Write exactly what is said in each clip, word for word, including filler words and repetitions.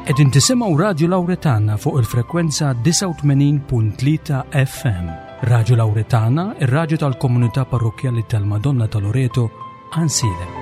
Qegħdin tisimgħu Radju Lawretana fuq il-frekwenza disgħa u tmenin punt tlieta F M. Radju Lawretana, ir-radju tal-komunità parrokkjali tal-Madonna ta' Loreto, Għajnsielem.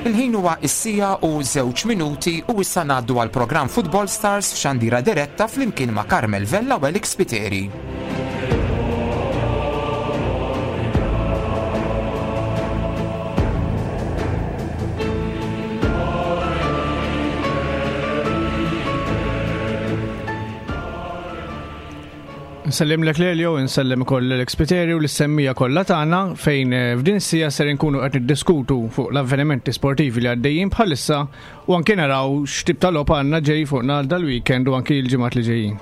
Il-ħin huwa is-sija u żewġ minuti u issa ngħaddu għal programm Football Stars f'xandira diretta flimkien ma' Carmel Vella u Alex Spiteri. Nsellem lek Lelio, nsellem ukoll Alex Spiteri u l-semmija kollha tagħna fejn, eh, f'din is-sija ser inkunu qed niddiskutu fuq l-avvenimenti sportivi li għaddejjin bħalissa u anke naraw x'tip ta' logħob għandna ġej fuqna dal-weekend u anke l-ġimgħat li ġejjin.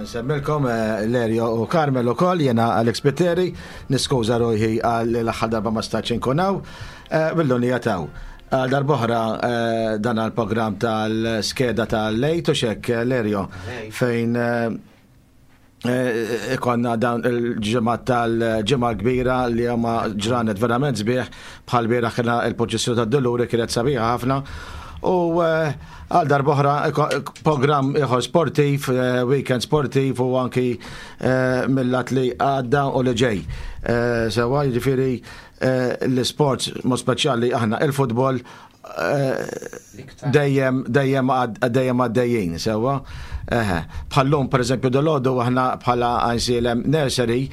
Nsemmilkom, eh, Lerio u Carmel ukoll, jiena Alex Spiteri, niskuża ruħi għal l-aħħar darba ma stax inkun hawn, eh, bil-lunija taw. Għal darb'oħra, eh, dan għall-programm tal-skeda tal-lejt u xek, eh, Lerio, fejn, eh, eh, ikonna dawn il-ġimgħa tal-ġimgħa kbira li huma ġranet verament sbieħ, bħal bieraħ kien il-poċissju tad-Duluri kienet sabiħa ħafna. U, eh, għal darb'oħra programm ieħor sportiv, eh, weekend sportiv u anki, eh, mill-lat li għadda u li ġej. Eh, sewa, jiġifieri, eh, l-sports mod speċjali aħna il-futbol, eh, dejjem, dejjem għad-, dejjem għaddejjin, sewa. Eħe. Bħallum, per eżempju, dal-għodu aħna bħala Għajnsielem Nursery,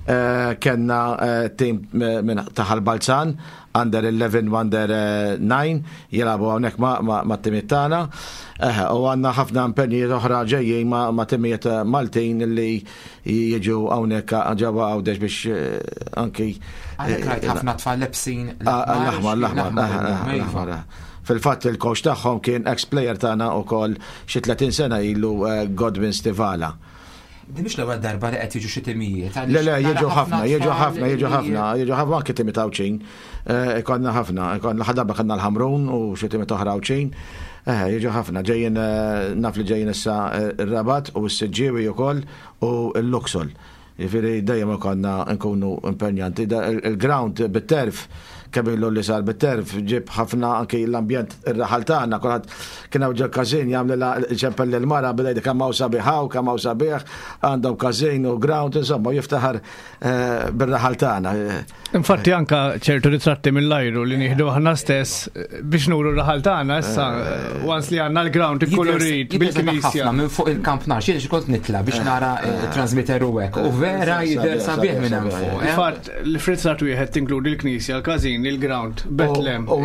eh, kellna, eh, tim, eh, minn taħal Balzan, under eleven u under, eh, nine, jilabu hawnhekk ma-, ma-, ma' timiet tagħna. Eħe, u għandna ħafna impenji oħra ġejjin ma-, ma' timiet Maltin li jiġu hawnhekk ġewwa Għawdex biex, eh, anki, Għalhekk rajt eh, ħafna tfal lebsin Ah, l-aħmar, l-aħmar, l-aħmar, l-aħmar, l-aħmar, l-aħmar. Fil-fatt il-coach tagħhom kien ex-player tagħna wkoll xi tletin sena ilu, eh, Godwin Stivala. Din mhix l-ewwel darba li qed jiġu xi timijiet, għaliex Le, le, nara jiġu ħafna ħafna, jiġu tfal ħafna, jiġu li ħafna, jiġu ħafna anke timiet Għawdxin. Eh, ikonna ħafna, ikonna ħadd darba kellna l-Ħamrun u xi timiet oħra Għawdxin. Eh, jiġu ħafna, ġejjin, eh, naf li ġejjin issa, eh, ir-Rabat u s-Siġġiewi wkoll u l-Luxol. Jiġifieri dejjem ikonna nkunu impenjanti. Da, il-, il-ground bit-terf, kemm ilu li sar bit-terf, ġib ħafna anki l-ambjent ir-raħal tagħna, kulħadd kien hawn ġol każin jagħmel la-, ċempel lil mara beda jgħid kemm hawn sabiħ hawn, kemm hawn sabiħ, għandhom każin u ground, insomma, jiftaħar, eh, bir-raħal tagħna. Infatti anka ċertu ritratti mill-ajru li nieħdu aħna stess biex nuru r-raħal tagħna issa, Eh. once li għandna l-ground Jidher ikkolorit jidher bil-knisja. ħafna minn fuq il-kamp nar, xi kont nitla biex nara, eh, transmitter u hekk. U vera Eh, jidher sabiħ, sabiħ minn hemm sabiħ, fuq, sabiħ. eh? Infatti, l-frizzat wieħed tinkludi l-knisja, l-każin ħażin il-ground, Betlem. U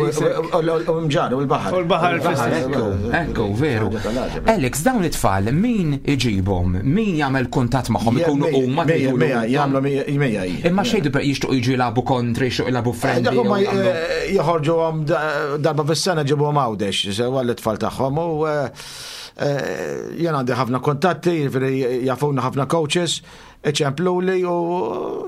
Mġarr, u l-baħar. U l-baħar fl-istess. Ekku, ekku, veru. Alex, dawn it-tfal, min iġibhom? Min jagħmel kuntatt magħhom? Ikunu huma tgħidulu. Jagħmlu mija. Imma xejdu per jixtuq jiġu jilagħbu kontri, jixtuq jilagħbu friendly. Dak huma joħorġuhom darba fis-sena ġibuhom Għawdex, sewa l-tfal tagħhom u jien għandi ħafna kontatti, jiġifieri jafuna ħafna coaches, iċempluli u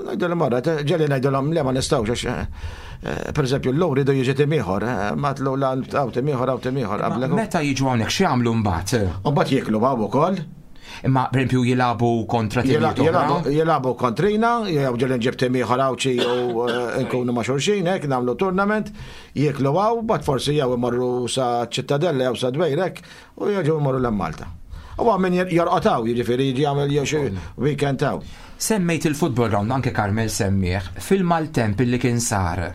ngħidulhom marra, ġeli ngħidulhom le ma nistgħux għax per eżempju l-lum ridu jiġi tim ieħor, ma tlu la hawn tim ieħor, hawn tim ieħor. Meta jiġu hawnhekk x'jagħmlu mbagħad? Mbagħad jieklu hawn ukoll. Imma per eżempju jilagħbu kontra timijiet oħra? Jilagħbu kontrina, jew ġeli nġib tim ieħor Għawdxi u nkunu ma' xulxin hekk nagħmlu tournament, jieklu hawn, mbagħad forsi jew imorru sa Ċittadella jew sa Dwejrek u jerġgħu imorru l Malta. U min jorqod hawn, jiġifieri jiġi jagħmel jew xi weekend hawn. Semmejt il-football ground anke Carmel semmieħ fil-maltemp li kien sar.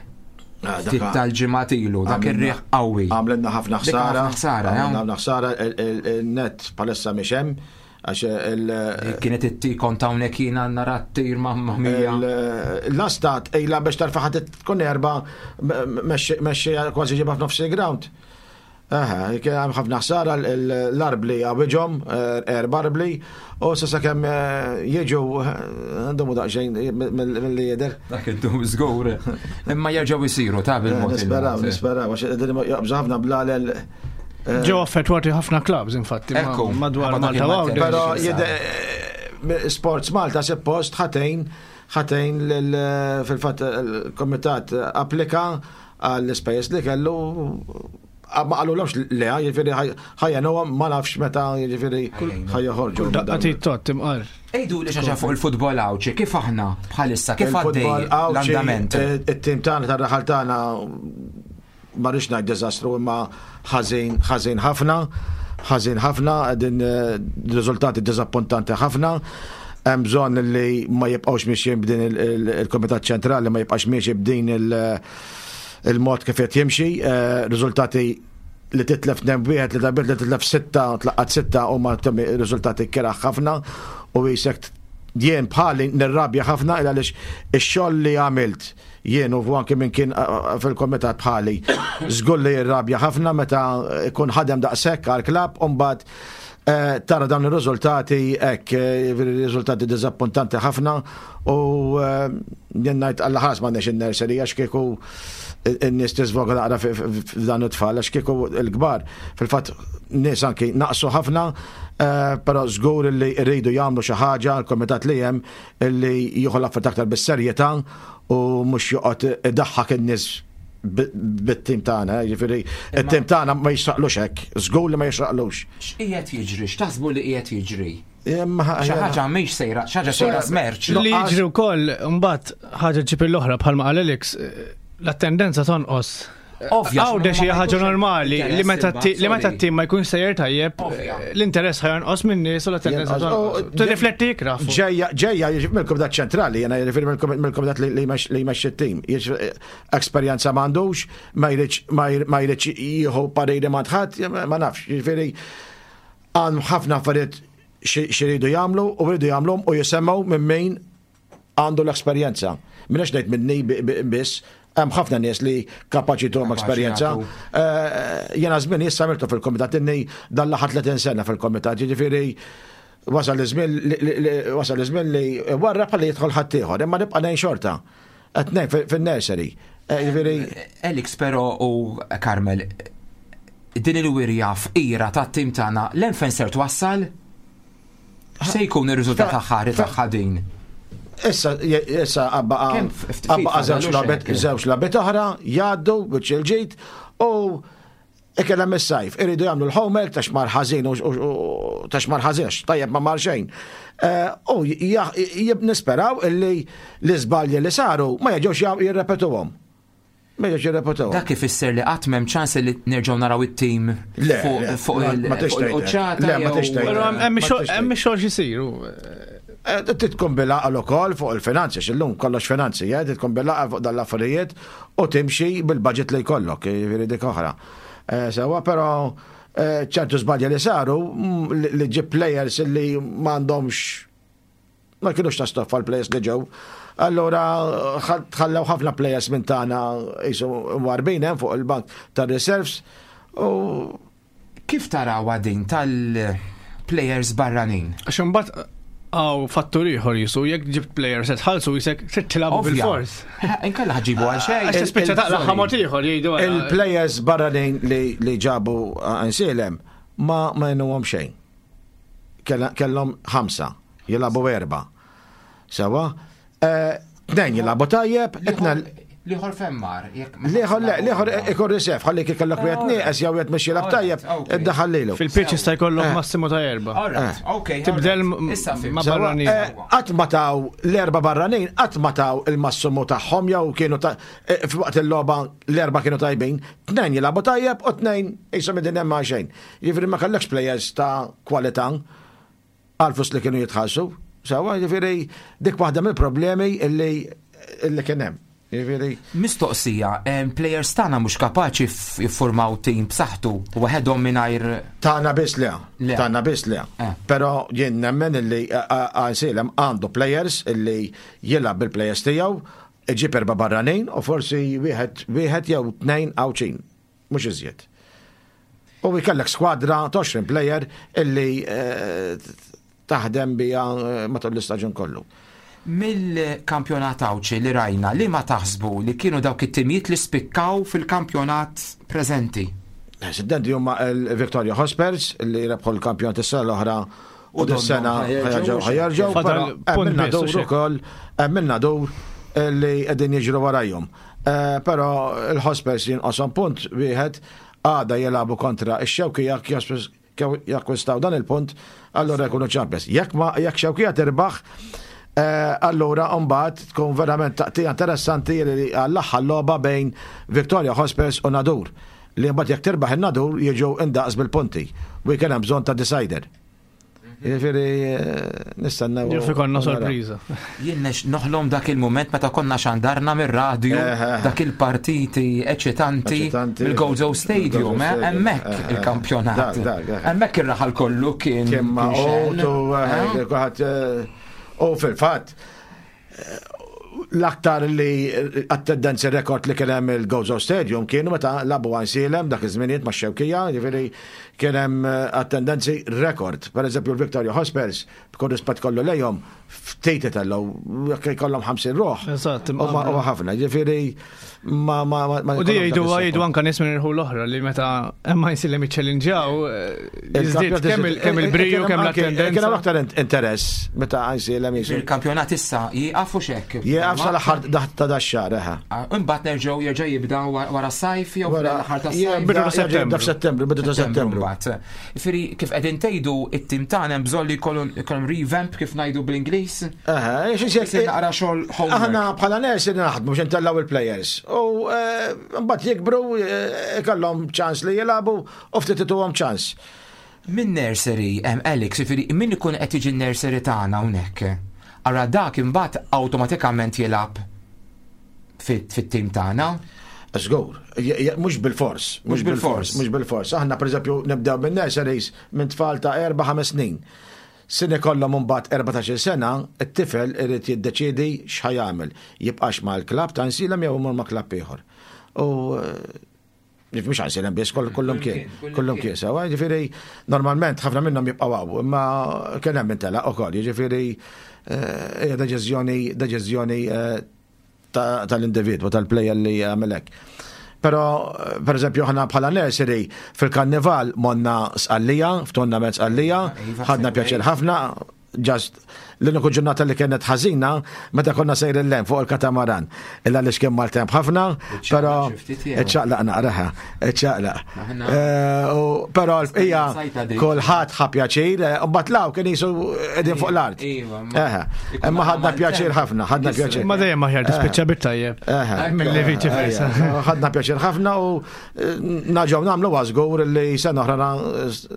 Ftit tal-ġimgħat ilu, dak ir-riħ qawwi. Għamlilna ħafna Dik ħsara. ħafna ħsara, Għamlilna ħsara, il-net palissa mhix hemm. Għax il- Kienet it-tikon ta' hawnhekk jiena nara t-tir mamma mia. L-astat ejla biex tarfa ħadd tkun erba mexxi kważi ġibha f'nofs il-ground. Aha, kien hemm ħafna ħsara l-arbli għawiġhom, erba arbli, u sa sakemm jiġu għandhom daqsxejn mill-li jidher. Dak id-dum żgur. Imma jerġgħu jsiru ta' bil-mod. Nisperaw, nisperaw, għax qegħdin jaqbżu ħafna blalel. Ġew affettwati ħafna clubs infatti Ekku, madwar ħabba dak Malta il-maltemp. Għawdex. Però jide Sports Malta suppost ħatejn ħatejn fil-fatt il-komitat applika għall-ispejjeż li kellu ma qalulhomx le, jiġifieri ħajjenuhom ma nafx meta jiġifieri ħajjoħorġu. Daqqa tot imqar. Ejdu li xaġa fuq il-futbol Għawdxi, kif aħna bħalissa, kif għaddej Il-futbol Għawdxi, l-andament? it-tim tagħna tar-raħal tagħna ma rridx ngħid diżastru imma ħażin ħażin ħafna, ħażin ħafna, din riżultati diżappuntanti ħafna. Hemm bżonn li ma jibqgħux miexjin b'din il-Kumitat Ċentrali ma jibqax miexi b'din il-mod kif qed jimxi, riżultati li titlef tnejn wieħed, li darbiet li titlef sitta, tlaqqat sitta huma riżultati keraħ ħafna u jisek jien bħali nirrabja ħafna il għaliex ix-xogħol li għamilt jien u anke minn kien fil-komitat bħali żgur li jirrabja ħafna meta jkun ħadem daqshekk għall-klabb u mbagħad tara dawn ir-riżultati hekk, riżultati diżappuntanti ħafna u jien ngħid alla ħares m'għandniex in-nursery għax kieku in-nies tiżvoga naqra f'dan it-tfal għax kieku l-kbar. Fil-fatt nies anki naqsu ħafna, però żgur li rridu jagħmlu xi ħaġa l-kumitat li hemm li jieħu l-affarijiet aktar bis-serjetà u mhux joqgħod idaħħak in-nies bit-tim tagħna, jiġifieri it-tim tagħna ma jixraqlux hekk, żgur li ma jixraqlux. X'qiegħed jiġri? X'taħsbu li qiegħed jiġri? Xi ħaġa mhix sejra, xi ħaġa sejra smerċ. Li jiġri wkoll imbagħad ħaġa ġib l-oħra bħalma qal Alex, l-attendenza tonqos. Ovvja, Għawdex hija ħaġa normali li meta li meta t-tim ma jkunx sejjer tajjeb, Ovvja. l-interess ħajonqos minn nies u l-attendenza tonqos. Tirrifletti ikrah. Ġejja, ġejja mill-Kumitat Ċentrali, jiena jiġifieri mill-Kumitat li jmexxi t-tim. Esperjenza m'għandux, ma jridx ma jridx jieħu pariri ma' ħadd, ma nafx, jiġifieri għandhom ħafna affarijiet xi jridu jagħmlu u jridu jagħmluhom u jisemgħu minn min għandu l-esperjenza. Minix ngħid minni biss, hemm ħafna nies li kapaċi tuhom esperjenza. Jiena żmien issa għamiltu fil-komitat inni dan l-aħħar tletin sena fil-komitat, jiġifieri wasal iż-żmien wasal iż-żmien li warra bħalli jidħol ħaddieħor, imma nibqa' ngħin xorta. Qed ngħin fin-nursery. Jiġifieri Alex però u Carmel, din il-wirja fqira tat-tim tagħna l-hemm ser twassal? Se jkun ir-riżultat aħħari tagħha din? Issa, issa għabba żewġ logħbiet, żewġ logħbiet oħra jgħaddu biċ il-ġid u ikellem is-sajf. Iridu jagħmlu l-homework ta' xmar ħażin u ta' xmar ħażin, tajjeb ma mar xejn. U nisperaw illi l-iżbalji li saru ma jerġgħux jirrepetuhom. Ma jerġgħux jirrepetuhom. Dak ifisser li qatt m'hemm ċans li nerġgħu naraw it-tim fuq il-quċċata. Le, ma tixtejt. Hemm ix-xogħol x'isir. Titkun bil-għaqal ukoll fuq il-finanzi, x'illum kollox finanzi, eh, titkun bil-għaqal fuq dal-affarijiet u timxi bil-budget li jkollok, jiġifieri dik oħra. Sewa, però ċertu żbalji li saru li ġib players li m'għandhomx Ma kienux ta' stoffa l-players li ġew. Allora tħallew ħafna players minn tagħna jisu warbin hemm fuq il-bank tar-reserves u Kif taraw din tal-players barranin? Għax imbagħad hawn fattur ieħor jisu jekk ġibt players se tħallsu jisek trid tilgħabu bilfors. Inkella ħa ġġibu għal xejn. Għax tispiċċa taqla' mod ieħor jgħidu. Il-players barranin li, li ġabu Għajnsielem ma ma jgħinuhom xejn. Kellhom ħamsa, jilagħbu erba'. Sewwa, eh, tnejn jilagħbu tajjeb, tnejn L-ieħor fejn mar. L-ieħor le, l-ieħor ikun reserve, ħalli kellok wieħed nieqes jew wieħed mhux jilgħab tajjeb, iddaħħal lilu. Fil-pitch jista' jkollok eh. massimu ta' erba'. Ok. Tibdel ma' barranin. Eh, qatt ma taw l-erba' barranin, qatt ma taw il-massimu tagħhom jew kienu ta' eh, f'waqt il-logħba l-erba' kienu tajbin, tnejn jilagħbu tajjeb u tnejn jisom din hemm xejn. Jiġifieri ma kellekx players ta' kwalità għal li kienu jitħallsu. Sewwa, jiġifieri dik waħda mill-problemi illi illi kien hemm. Jiġifieri. Mistoqsija, players tagħna mhux kapaċi jiffurmaw tim b'saħħtu waħedhom mingħajr. Tagħna biss le. Tagħna biss le. Eh. Però jien nemmen illi Għajnsielem għandu players illi jilgħab bil-players tiegħu, iġib erba' barranin u forsi wieħed wieħed jew tnejn Għawdxin. Mhux iżjed. U jkollek skwadra ta' player illi eh, taħdem bija eh, matul l-istaġun kollu. Mill-kampjonat Għawdxi li rajna, li ma taħsbu li kienu dawk it-timijiet li spikkaw fil-kampjonat preżenti? Siddendi huma il-Victoria Hotspurs li rebħu l-kampjonat is-sena l-oħra u dis-sena ħa jerġgħu, però hemm in-Nadur ukoll, hemm in-Nadur li qegħdin jiġru warajhom. Eh, però il-Hotspurs jinqoshom punt wieħed għada jilagħbu kontra ix-Xewkija jakkwistaw dan il-punt, allora jkunu champions. Jekk ma jekk Xewkija tirbaħ, eh, allura mbagħad tkun verament taqtija interessanti li għall-aħħar logħba bejn Victoria Hotspurs u Nadur. Li mbagħad jekk tirbaħ in-Nadur jiġu indaqs bil-punti. U jkun hemm bżonn ta' decider. Jiġifieri eh, nistennew. Jaf ikollna sorpriża. Jien noħlom dak il-moment meta konna xandarna mir-radju eh, eh, dak il-partiti eċitanti mill-Gozo Stadium, hemmhekk il-kampjonat. Hemmhekk ir-raħal kollu kien. Kien U fil-fatt l-aktar li attendenzi rekord li kien hemm il-Gozo Stadium kienu meta lagħbu Għajnsielem dak iż-żminijiet ma' Xewkija, jiġifieri kien hemm attendenzi rekord. Per eżempju l-Victoria Hotspurs, b'kull rispett kollu lejhom, ftit itellgħu jekk jkollhom ħamsin ruħ. Eżatt. Huwa ħafna, jiġifieri ma ma ma. U di jgħidu jgħidu anka nies minn irħula oħra li meta hemm Għajnsielem jiċċellinġjaw jiżdied kemm il-briju kemm l-attendenza. Kien hemm aktar interess meta Għajnsielem jisu. Il-kampjonat issa jieqaf u xek. Jieqaf sal-aħħar ta' dax-xahar, eħe. Ah, imbagħad nerġgħu jerġa' jibda wara s-sajf jew fl-aħħar tas-sajf. Bidu ta' Settembru. F'Settembru, bidu ta' Settembru. Jiġifieri kif qegħdin tgħidu it-tim tagħna hemm bżonn li jkollhom revamp kif ngħidu bl-Ingliż. Eħe, xi naqra xogħol homework. Aħna bħala nies li naħdmu biex intellgħu il-players. U eh, mbagħad jikbru eh, ikollhom ċans li jilagħbu u ftit ituhom ċans. Min nursery, Alex, jiġifieri min ikun qed jiġi nursery tagħna hawnhekk. Ara dak imbagħad awtomatikament jilgħab fit-tim tagħna. Żgur, mhux bil-fors, mhux bil-fors, mhux bil-fors. Aħna pereżempju nibdew minn nurseries minn tfal ta' erba' ħames snin. Sin ikollhom imbagħad erbatax-il sena, it-tifel irid jiddeċiedi x'ħa jagħmel. Jibqax mal-klabb ta' Għajnsielem jew imur ma' klabb ieħor. U mhux Għajnsielem biss, kollhom kien, kollhom kien sewwa, jiġifieri normalment ħafna minnhom jibqgħu hawn, imma kien hemm intelaq ukoll, jiġifieri hija deċiżjoni deċiżjoni tal-individwu, tal-player li jagħmel hekk. Però, per eżempju, aħna bħala nursery fil-karnival monna Sqallija, f'tournament Sqallija, ħadna pjaċir ħafna, just l-uniku ġurnata li kienet ħażina meta konna sejrin 'l hemm fuq il-katamaran. Illa li xkien maltemp ħafna, però iċċaqlaq naqraha, iċċaqlaq. Però hija kulħadd ħa pjaċir, u mbagħad law kien jisu qegħdin fuq l-art. Imma ħadna pjaċir ħafna, ħadna pjaċir. Ma dejjem aħjar tispiċċa bit-tajjeb. Milli viċi versa. Ħadna pjaċir ħafna u naġgħu nagħmlu żgur li sena oħra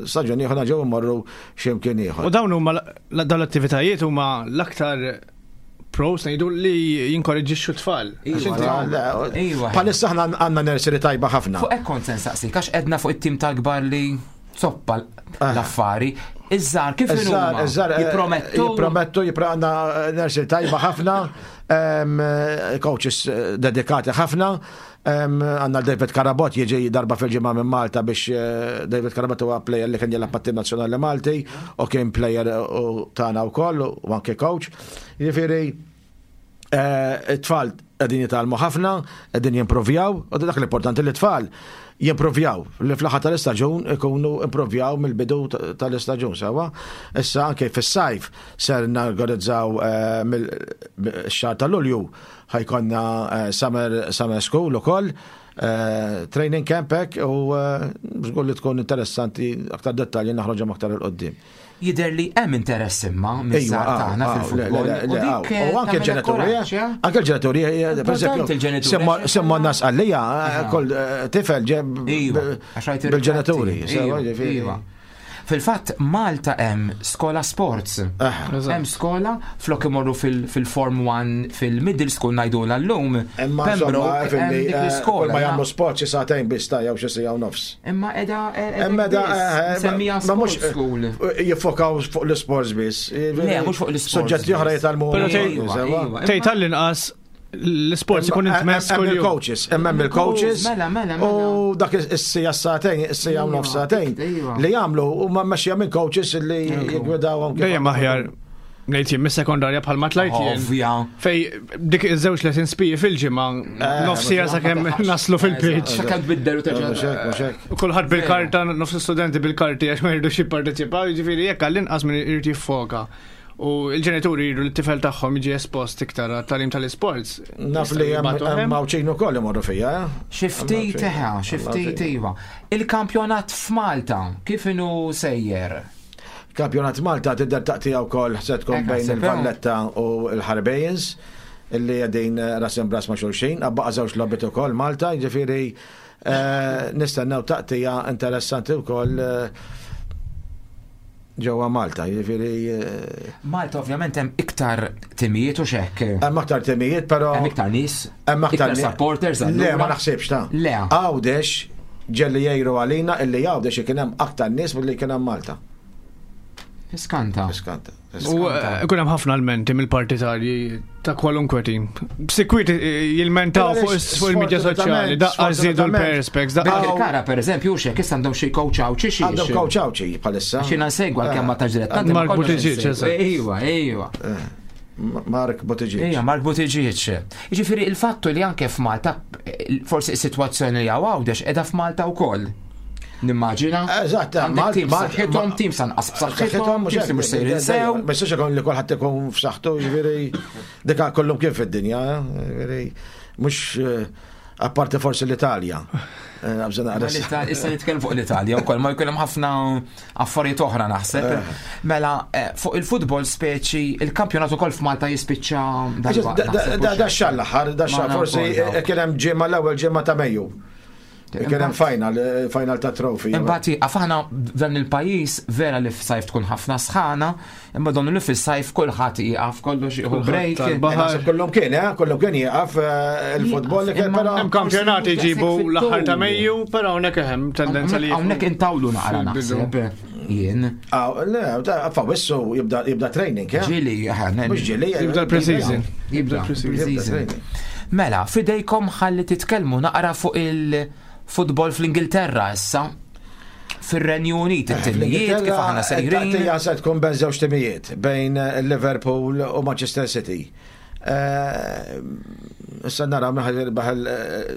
staġun ieħor naġgħu mmorru x'imkien ieħor. U dawn huma dawn l-attivitajiet huma l-aktar pros ngħidu li jinkoraġġixxu tfal. Iva. Bħalissa aħna għandna nursery tajba ħafna. Fuq hekk kont se nsaqsik għax qedna fuq it-tim tal-kbar li zoppa l-affari. Iż-żgħar kif Iż-żgħar, inhuma? iż-żgħar, eh, Jippromettu. Jippromettu, għandna nursery tajba ħafna, em, eh, coaches eh, dedikati ħafna. em, Għandna David Karabot jiġi darba fil-ġimgħa minn Malta biex eh, David Karabot huwa player li kien jilgħab mat-tim nazzjonali Malti u kien player u tagħna wkoll u anke coach. Jiġifieri eh, it-tfal qegħdin jitgħallmu ħafna, qegħdin jimprovjaw, u dak l-importanti li t-tfal jimprovjaw, li fl-aħħar tal-istaġun ikunu improvjaw mill-bidu tal-istaġun sewa. Issa anke fis-sajf ser norganizzaw eh, mill-xahar tal-Lulju ħa jkollna eh, summer, summer school ukoll, eh, training camp hekk u eh, żgur li tkun interessanti aktar dettalji naħroġhom aktar 'il quddiem. Jidher li hemm interess imma miż-żgħar tagħna fil-futbol. Le, le, U dik, le, U anke tagħmel l-ġenituri, kuraġġ, eh? anke l-ġenituri, eh, per Importanti eżempju, l-ġenituri, semma għax- semma nas għallija, kull eh, tifel ġeb Iva, għax rajt bil-ġenituri. ir-ritratti. sewa, Iva, ġifieri. iva. Fil-fatt, Malta hemm skola sports. Ah, Hemm skola flok imorru fil- fil-Form one fil-middle school ngħidulha llum. Imma Pembroke insomma, hemm fil-li, dik eh, l-iskola. kull ma jagħmlu sport xi sagħtejn biss ta' jew xi siegħa u nofs. Imma edha Imma da, eh, semmija ma mhux, sport school. eh, jiffokaw fuq l-sports biss. Le, mhux fuq l-sports Suġġetti oħra biss. jitgħallmu. Però tgħid- Iva, sewa. iva. Tgħid tal-inqas l-sports ikun intmess Hemm kuljum. il-coaches, hemm il-coaches. Mela, mela, mela. U dak is-siegħa sagħtejn, is-siegħa u Iva, nofs sagħtejn iva. li jagħmlu huma mmexxija minn coaches li jiggwidawhom kif- Dejjem aħjar ngħid jien mis-sekondarja bħalma tlajt jien. Ovvja. Fej dik iż-żewġ lessons P E fil-ġimgħa nofs siegħa sakemm naslu fil-pitch. Sakemm tbiddel u Mhux hekk, terġa' mhux hekk. U kulħadd bil-karta, nofs studenti bil-karti għax ma jridux jipparteċipaw, jiġifieri jekk għall-inqas min irid jiffoka. U l-ġenituri jridu li t-tifel tagħhom jiġi espost iktar għat-tagħlim tal-isports. Naf li hemm hemm Għawdxin ukoll imorru fija. eh? Xi ftit eħa, xi ftit iva. Il-kampjonat f'Malta kif inhu sejjer? Kampjonat Malta tidher taqtija wkoll se tkun Hekk bejn naħseb, il-Valletta u l-Ħarbejins illi qegħdin ras imb'ras ma' xulxin, baqa' żewġ logħbiet ukoll Malta, jiġifieri eh, nistennew taqtija interessanti wkoll eh, ġewwa Malta, jiġifieri eh, Malta ovvjament hemm iktar timijiet u xekk. hemm aktar timijiet, però Hemm iktar nies, hemm aktar iktar ni- supporters Le, ma allura. naħsibx ta' Le. Għawdex ġelli jgħiru għalina illi Għawdex kien hemm aktar nies milli kien hemm Malta. Iskanta. Iskanta. U eh, ikun hemm ħafna almenti mill-partitarji ta' kwalunkwe tim. Sikwit eh, jilmentaw fuq is- fuq il-medja soċjali, daqqa żiedu l-perspex, daqqa Bil-kara per eżempju, xek issa għandhom xi coach Għawdxi xi. Għandhom coach Għawdxi bħalissa. Xi nsegwa l-kemm ma tax dilettanti. ma Mark konniex Buttigieg, insegwu. eżatt. Iva, iva. Mark Buttigieg. Ija, Mark Buttigieg. Jiġifieri il-fattu li anke f'Malta, eh, forsi is-sitwazzjoni li hawn Għawdex qiegħda f'Malta wkoll. Nimmaġina. Eżatt, Għandek Malt- tim Malt- b'saħħithom, tim sanqas b'saħħithom, mhux tim li mhux sejrin sew. Ma jistax ikun li kulħadd ikun f'saħħtu, jiġifieri dika kollhom kien fid-dinja, jiġifieri mhux eh, apparti forsi l-Italja. Eh, nabża Ma naqra. l-Italja- Issa nitkellem fuq l-Italja wkoll ma jkun hemm ħafna affarijiet oħra naħseb. Mela eh, fuq il-futbol speċi il-kampjonat ukoll f'Malta jispiċċa Da dal-waqt. da xahar l-aħħar, da xahar Ma forsi nafx. eh, kien hemm ġimgħa l-ewwel ġimgħa ta' Mejju. Kien hemm final, eh, final ta' trophy. Imbagħad jieqaf aħna f'dan il-pajjiż vera li f'sajf tkun ħafna sħana, imma donnu li fis-sajf kulħadd jieqaf kollox jieħu break. tal-baħar. Naħseb Kollhom kien, eh, kollhom kien jieqaf eh, il-futbol li kien Imma- però Hemm kampjonati jġibu l-aħħar ta' Mejju, però hawnhekk hemm tendenza li Hawnhekk intawlu naqra fil-bidu. naħseb jien. Ah, Le, ta' f'Awwissu jibda jibda training, eh? Ġili, Mhux ġili. eh, Jibda l-pre-season. Jibda pre-season. pre-season. Mela, fidejkom ħalli titkellmu naqra fuq il-futbol fl-Ingilterra issa. Fir-Renju Unit, it-timijiet kif aħna sejrin. Taqtija se tkun bejn żewġ timijiet, bejn eh, Liverpool u Manchester City. Eh, Issa naraw min ħa jirbaħ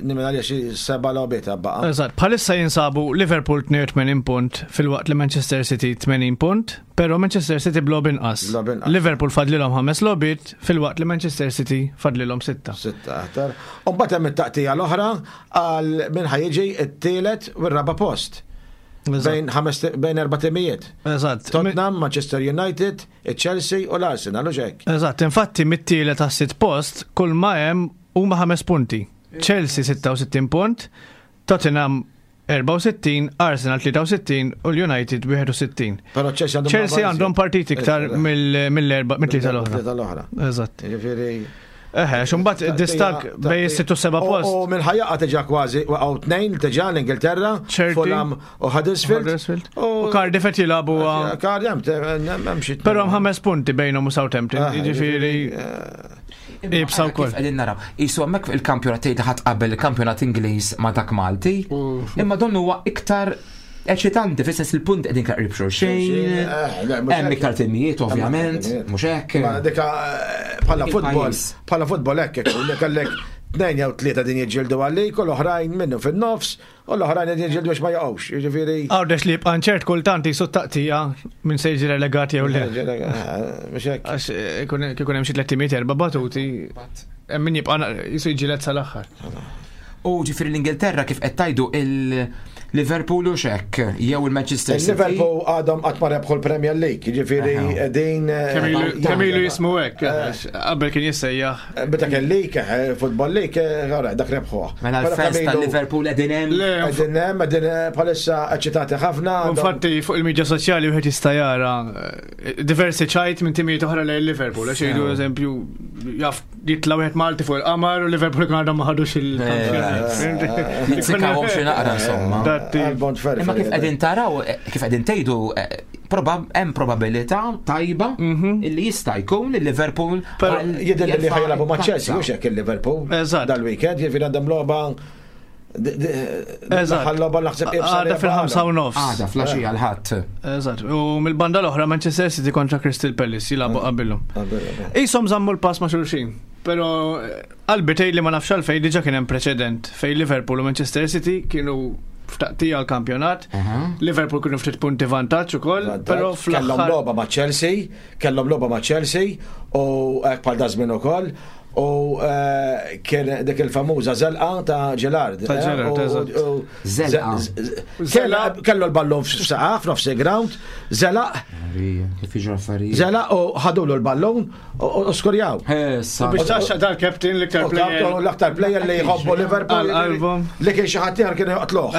nimmen għalija xi seba' logħbiet baqa'. Eżatt, bħalissa jinsabu Liverpool tnejn u tmenin punt filwaqt li Manchester City tmenin punt, pero Manchester City b'logħba inqas. B'logħba inqas. Liverpool fadlilhom ħames logħbiet filwaqt li Manchester City fadlilhom sitta. Sitta aktar. U mbagħad hemm it-taqtija l-oħra għal min ħa jiġi t-tielet u r-raba' post. Eżatt. Bejn ħames bejn erba' timijiet. Eżatt. Tottenham, Manchester United, Chelsea u l-Arsenal u xek. Eżatt, infatti mit-tielet għas-sitt post kull ma hemm huma ħames punti. Chelsea sitta u sittin punt, Tottenham erbgħa u sittin, Arsenal tlieta u sittin u l-United wieħed u sittin. Però Chelsea għandhom Chelsea għandhom partit iktar mill- mill-erba' mit-tlieta l-oħra. Tlieta l-oħra. Eżatt. Jiġifieri Eħe, xumbat distak bej sitt u seba post. U minn ħajjaqa teġa kważi, waqgħu tnejn teġa l-Ingilterra, Fulham u Huddersfield. U Cardiff qed jilagħbu. Cardiff hemm xi. Però hemm ħames punti bejnhom u Southampton, jiġifieri ibsa wkoll. Qegħdin naraw. Isu hemmhekk il-kampjonat tgħid ħadd qabel il-kampjonat Ingliż ma' dak Malti, imma donnu huwa iktar eċitanti, fis-sens il-punt qegħdin qrib xulxin. Hemm iktar timijiet ovvjament, mhux hekk. Dika bħala futbol, bħala futbol hekk kellek tnejn jew tlieta din jiġġieldu għalik u l-oħrajn minnu fin-nofs u l-oħrajn qegħdin jiġġieldu biex ma jaqgħux. Jiġifieri. Għawdex li jibqa' ċert kultant jisu taqtija minn se jiġi relegat jew le. Mhux hekk. Għax ikun hemm xi tliet timijiet erba' batuti, hemm min jibqa' jisu jiġġieled sal-aħħar. U ġifieri l-Ingilterra kif qed tgħidu il-Liverpool u xek, jew il-Manchester City. Il-Liverpool għadhom qatt ma rebħu l-Premier League, jiġifieri din. Kemm ilu jismu hekk, qabel kien jissejjaħ. Meta kien League, Football League, dak rebħuh. Mela l-fans tal-Liverpool qegħdin hemm. Qegħdin hemm, qegħdin bħalissa eċċitati ħafna. Infatti fuq il-midja soċjali wieħed jista' jara diversi ċajt minn timijiet oħra lejn Liverpool, għax jgħidu eżempju jaf jitla' wieħed Malti fuq il-qamar u Liverpool kien għadhom ma ħadux il-kampjonat. Nizzikawhom xi naqra insomma. Imma kif qegħdin taraw, kif qegħdin tgħidu, hemm probabilità tajba illi jista' jkun li Liverpool jidher li ħajlabu ma' Chelsea, mhux hekk il-Liverpool. Dal-weekend jiġifieri għandhom logħba. Eżatt. Għada fil-ħamsa u nofs. Għada fl-għaxija l-Ħadd. Eżatt. U mill-banda l-oħra Manchester City kontra Crystal Palace jilagħbu qabilhom. Ishom żammu l-pass ma' xulxin. Pero qalbi tgħid li ma nafx għalfejn diġà kien hemm preċedent fejn Liverpool u Manchester City kienu f'taqtija l-kampjonat. Liverpool kienu ftit punti vantaġġ ukoll, però fl-aħħar kellhom logħba ma' Chelsea, kellhom logħba ma' Chelsea u hekk bħal dażmin ukoll. U kien dik il-famuża zelqa ta' Gerrard. Ta' Gerrard, eżatt. Zelqa. Kellu l-ballun f'saqaf, f'nofs il-ground, zelaq. Kif jiġu affarijiet. Zelaq u ħadulu l-ballun u skurjaw. Biex taxxa dal-captain l-iktar player. L-aktar player li jħobbu Liverpool. Li kien xi ħadd ieħor kien joqtluh.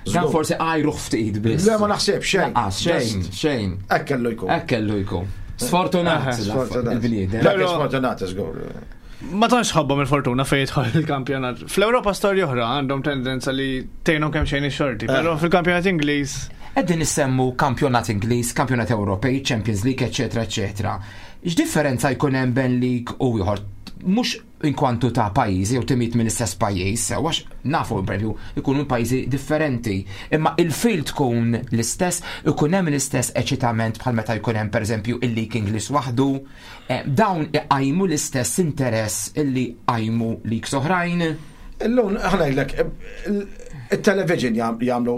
Dan forsi għajruh ftit biss. Le ma naħseb xejn. Xejn, xejn. Hekk kellu jkun. Hekk kellu jkun. Sfortunat. Il-bniedem. Sfortunat, żgur. Ma tantx ħabbhom il-fortuna fejn jidħol il-kampjonat. Fl-Ewropa storja oħra għandhom tendenza li tgħinhom kemm xejn ix-xorti, però fil-kampjonat Ingliż. Qegħdin nissemmu kampjonat Ingliż, kampjonat Ewropej, Champions League, eċetera, eċetera. X'differenza jkun hemm bejn league u ieħor? Mhux inkwantu ta' pajjiżi jew timijiet mill-istess pajjiż, għax nafu pereżempju jkunu pajjiżi differenti, imma il-fil tkun l-istess, ikun hemm l-istess eċitament bħal meta jkun hemm pereżempju il-League Ingliż waħdu, dawn iqajmu l-istess interess illi qajmu leagues oħrajn. Illum aħna ngħidlek il-television jagħmlu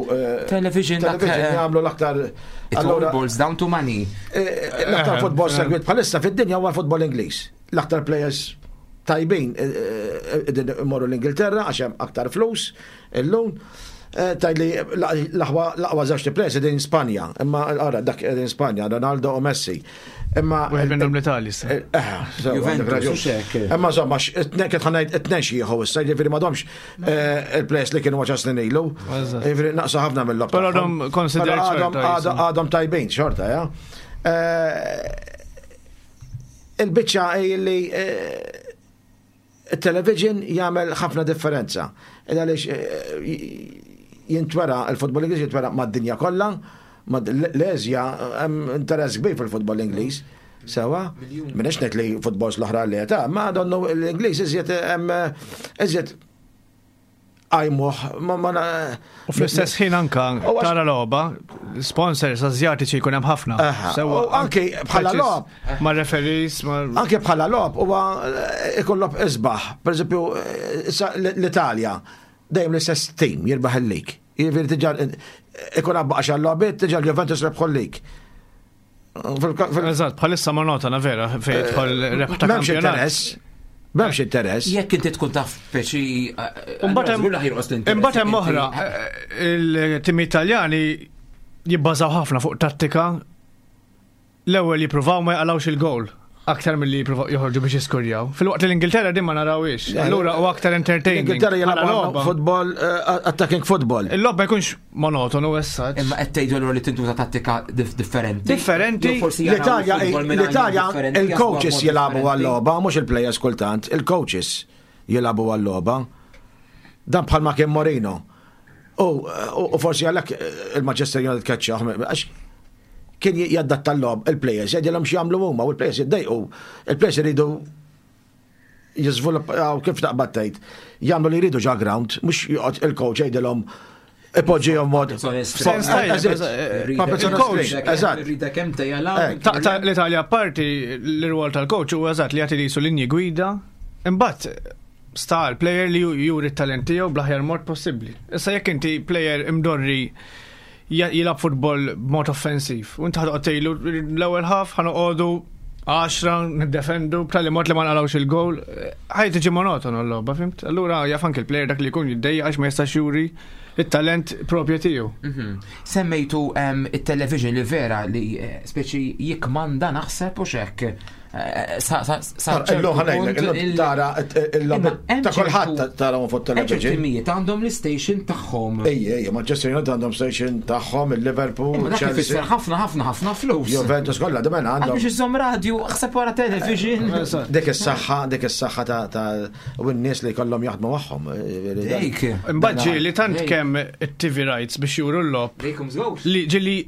television jagħmlu l-aktar. It all boils down to money. L-aktar futbol segwit bħalissa fid-dinja huwa l-futbol Ingliż. L-aktar players tajbin imorru l-Ingilterra għax hemm aktar flus illum. Tajli l-aqwa żewġ players qegħdin Spanja, imma ara dak qegħdin Spanja, Ronaldo u Messi. Imma wieħed minnhom l-Italja issa. Juventus. Imma insomma kif ħa ngħid it-tnejn xi jieħu issa, jiġifieri m'għadhomx il-players li kienu għaxar snin ilu. Jiġifieri naqsu ħafna mill-logħob. Però għadhom considered xorta. Għadhom tajbin xorta, ja. Il-biċċa li il-television jagħmel ħafna differenza. Għaliex jintwera il-futbol Ingliż jintwera mad-dinja kollha, l-Eżja hemm interess kbir fil-futbol Ingliż. Sewa, m'iniex ngħid li futbol l-oħra li ta' ma donnu l-Ingliż iżjed hemm iżjed għajmuh. U fl-istess ħin anka tara logħba, sponsors Asjatiċi jkun hemm ħafna. Sewa anke bħala logħob. Ma' referees, ma' anke bħala logħob huwa ikun logħob isbaħ. Pereżempju l-Italja dejjem l-istess team jirbaħ il-lig. Jiġifieri diġà ikun għabba għaxar logħbiet diġà l-Juventus rebħu l-lig. Eżatt, bħalissa monotona vera fejn jidħol rebħ ta' M'hemmx interess. M'hemmx interess. Jekk inti tkun taf peċi. Imbagħad hemm oħra, il-tim Italjani jibbażaw ħafna fuq tattika. L-ewwel jippruvaw ma jaqalgħux il-gowl. Aktar milli jippruvaw joħorġu biex jiskurjaw. Filwaqt li l-Ingilterra din ma narawhiex. Allura u aktar entertaining. L-Ingilterra Bħala jilagħbu logħba. football, eh, attacking football. Il-logħba jkunx monotonu issa. Imma qed tgħidu allura li tintuża tattika dif- differenti. Differenti. Jew forsi jaraw L-Italja, il-futbol minn l-Italja, angoli differenti, il-coaches jaħsbuha b'mod jilagħbu differenti. għal-logħba, mhux il-players kultant, il-coaches jilagħbu għal-logħba. Dan bħalma kien Mourinho. U u forsi għalhekk eh, il-Manchester United keċċa, għax kien jaddatta l-logħob il-players, jgħidilhom x'jagħmlu huma u l-players jiddejqu. Il-players iridu jiżviluppaw kif taqbad tgħid, jagħmlu li jridu ġo ground, mhux joqgħod il-coach jgħidilhom ipoġġihom mod. Sens tajjeb, Eżatt. eh, Puppets on a il-coach, string, Eżatt. Rida kemm tejjala. Ek. Ta' ta' l-Italja parti l-rwol tal-coach u eżatt li jagħti lisu linji gwida, imbagħad sta l-player li ju- juri t-talent tiegħu bl-aħjar mod possibbli. Issa jekk inti player imdorri ja- jilgħab futbol b'mod offensiv, u inti ħa toqgħod tgħidlu l-ewwel half ħa noqogħdu għaxra niddefendu b'tali mod li ma naqilgħux il-goal, ħaj tiġi monotonu l-logħba, fhimt? Allura jaf anke il-player dak li jkun jiddejjaq għax ma jistax juri it-talent propju tiegħu. Mhm. Semmejtu em, il-television li vera li eh, speċi jikmanda naħseb u xek. Eh, Sa sa sa Illum ċertu ħa ngħidlek, punt illum il- tara Imma il-logħob hemm ta' kulħadd ċertu- tara fuq Hemm ċertu television. timijiet għandhom l-station tagħhom. Ejja, ejja, Manchester United għandhom station tagħhom, il-Liverpool, Imma dak ifisser Chelsea, ħafna ħafna ħafna flus. Juventus kollha dimen Għal għandhom. biex iżomm radio, ħseb wara television. Dik is-saħħa, dik is-saħħa ta' ta' u n-nies li kollhom jaħdmu magħhom. Dik. Imbagħad ġieli tant Ej. kemm it-T V rights biex juru l-logħob Dejkom żgħux. li ġieli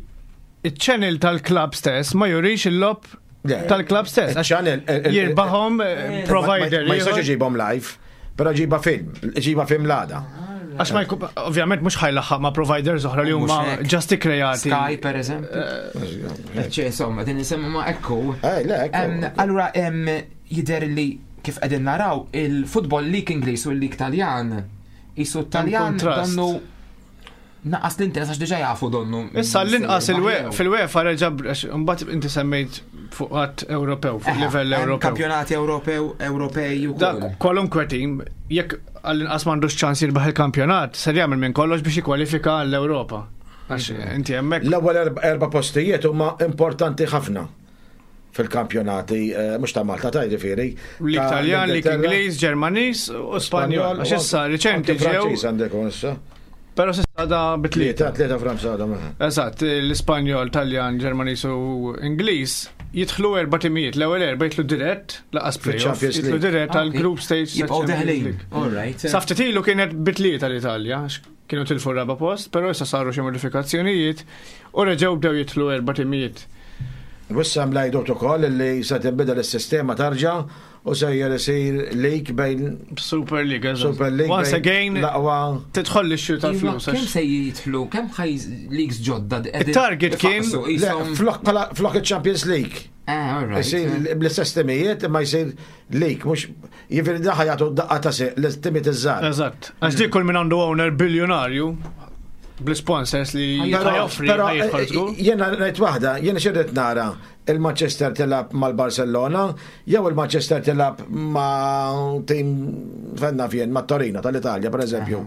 il-channel tal-club stess ma jurix il-logħob Le. tal-club stess. Għax Il-channel, il- il- Jirbaħhom eh, provider. Ma jistax ieħor. iġibhom live, però ġiba film, ġiba film l-għada. Għax ma jkun, ovvjament mhux ħa jlaħħaq ma' providers oħra li huma Mhux hekk. just kreati. Sky per eżempju. Ċe, insomma, din nisemmu ma ekku. Eh, le, ekku. Em, Allura, em, jidher li kif qegħdin naraw il-football league Ingliż u l-league Taljan. Isu Taljan kontrast. donnu naqas l-interess għax diġà jafu donnu. Issa l-inqas il- fil-UEFA reġa' għax mbagħad inti semmejt fuq qatt Ewropew, fuq livell Ewropew. Kampjonati Ewropew, Ewropej u Dak kwalunkwe tim, jekk għall-inqas m'għandux ċans jirbaħ il-kampjonat, ser jagħmel minn kollox biex jikkwalifika għall-Ewropa. Għax inti hemmhekk L-ewwel erba- erba' postijiet huma importanti ħafna fil-kampjonati, eh, mhux ta' Malta ta' jiġifieri. Lig ta' Taljan, lig l-Ingilterra, Ingliż, Ġermaniż u Spanjol. Għax issa riċenti Anke ġew, Franċiż għandek issa. però s'issa da bitlieta. Tlieta, tlieta Franza għadhom. eh. Eżatt, l-Ispanjol, Taljan, Ġermaniż u Ingliż jidħlu erba' timijiet. L-ewwel erba' jidħlu dirett lanqas playoff, Fil-Champions jidħlu League. dirett għal group stage. Jibqgħu tal-Champions deħlin. League. All right. Sa ftit ilu kienet bitlieta l-Italja, għax kienu tilfu raba post, però issa saru xi modifikazzjonijiet u reġgħu bdew jidħlu erba' timijiet. Wissa mlajdut ukoll li se tinbidel is-sistema tarġa' u sejjer isir league bejn Super League, eżatt. Super League. Once bejn again, l-aqwa tidħol l-issue Iva, tal-flus. Kemm għax- se jidħlu, kemm ħaj leagues ġodda qegħdin Il-target kien- ifaqqsu, Le, qishom- flok bħala- flok il-Champions League. Ah, all right. Isir bl-istess timijiet imma jsir league, mhux jiġifieri daħ jagħtu daqqa ta' se l-timijiet iż-żgħar. Eżatt. Għax dik kull min għandu owner biljonarju bl-sponsors li Però- joffri però, ħa jidħol eh, żgur. Jiena ngħid waħda, jiena xirrid nara il-Manchester tilgħab mal-Barcellona, jew il-Manchester tilgħab ma' tim fenna fien, ma' Torino tal-Italja, per eżempju.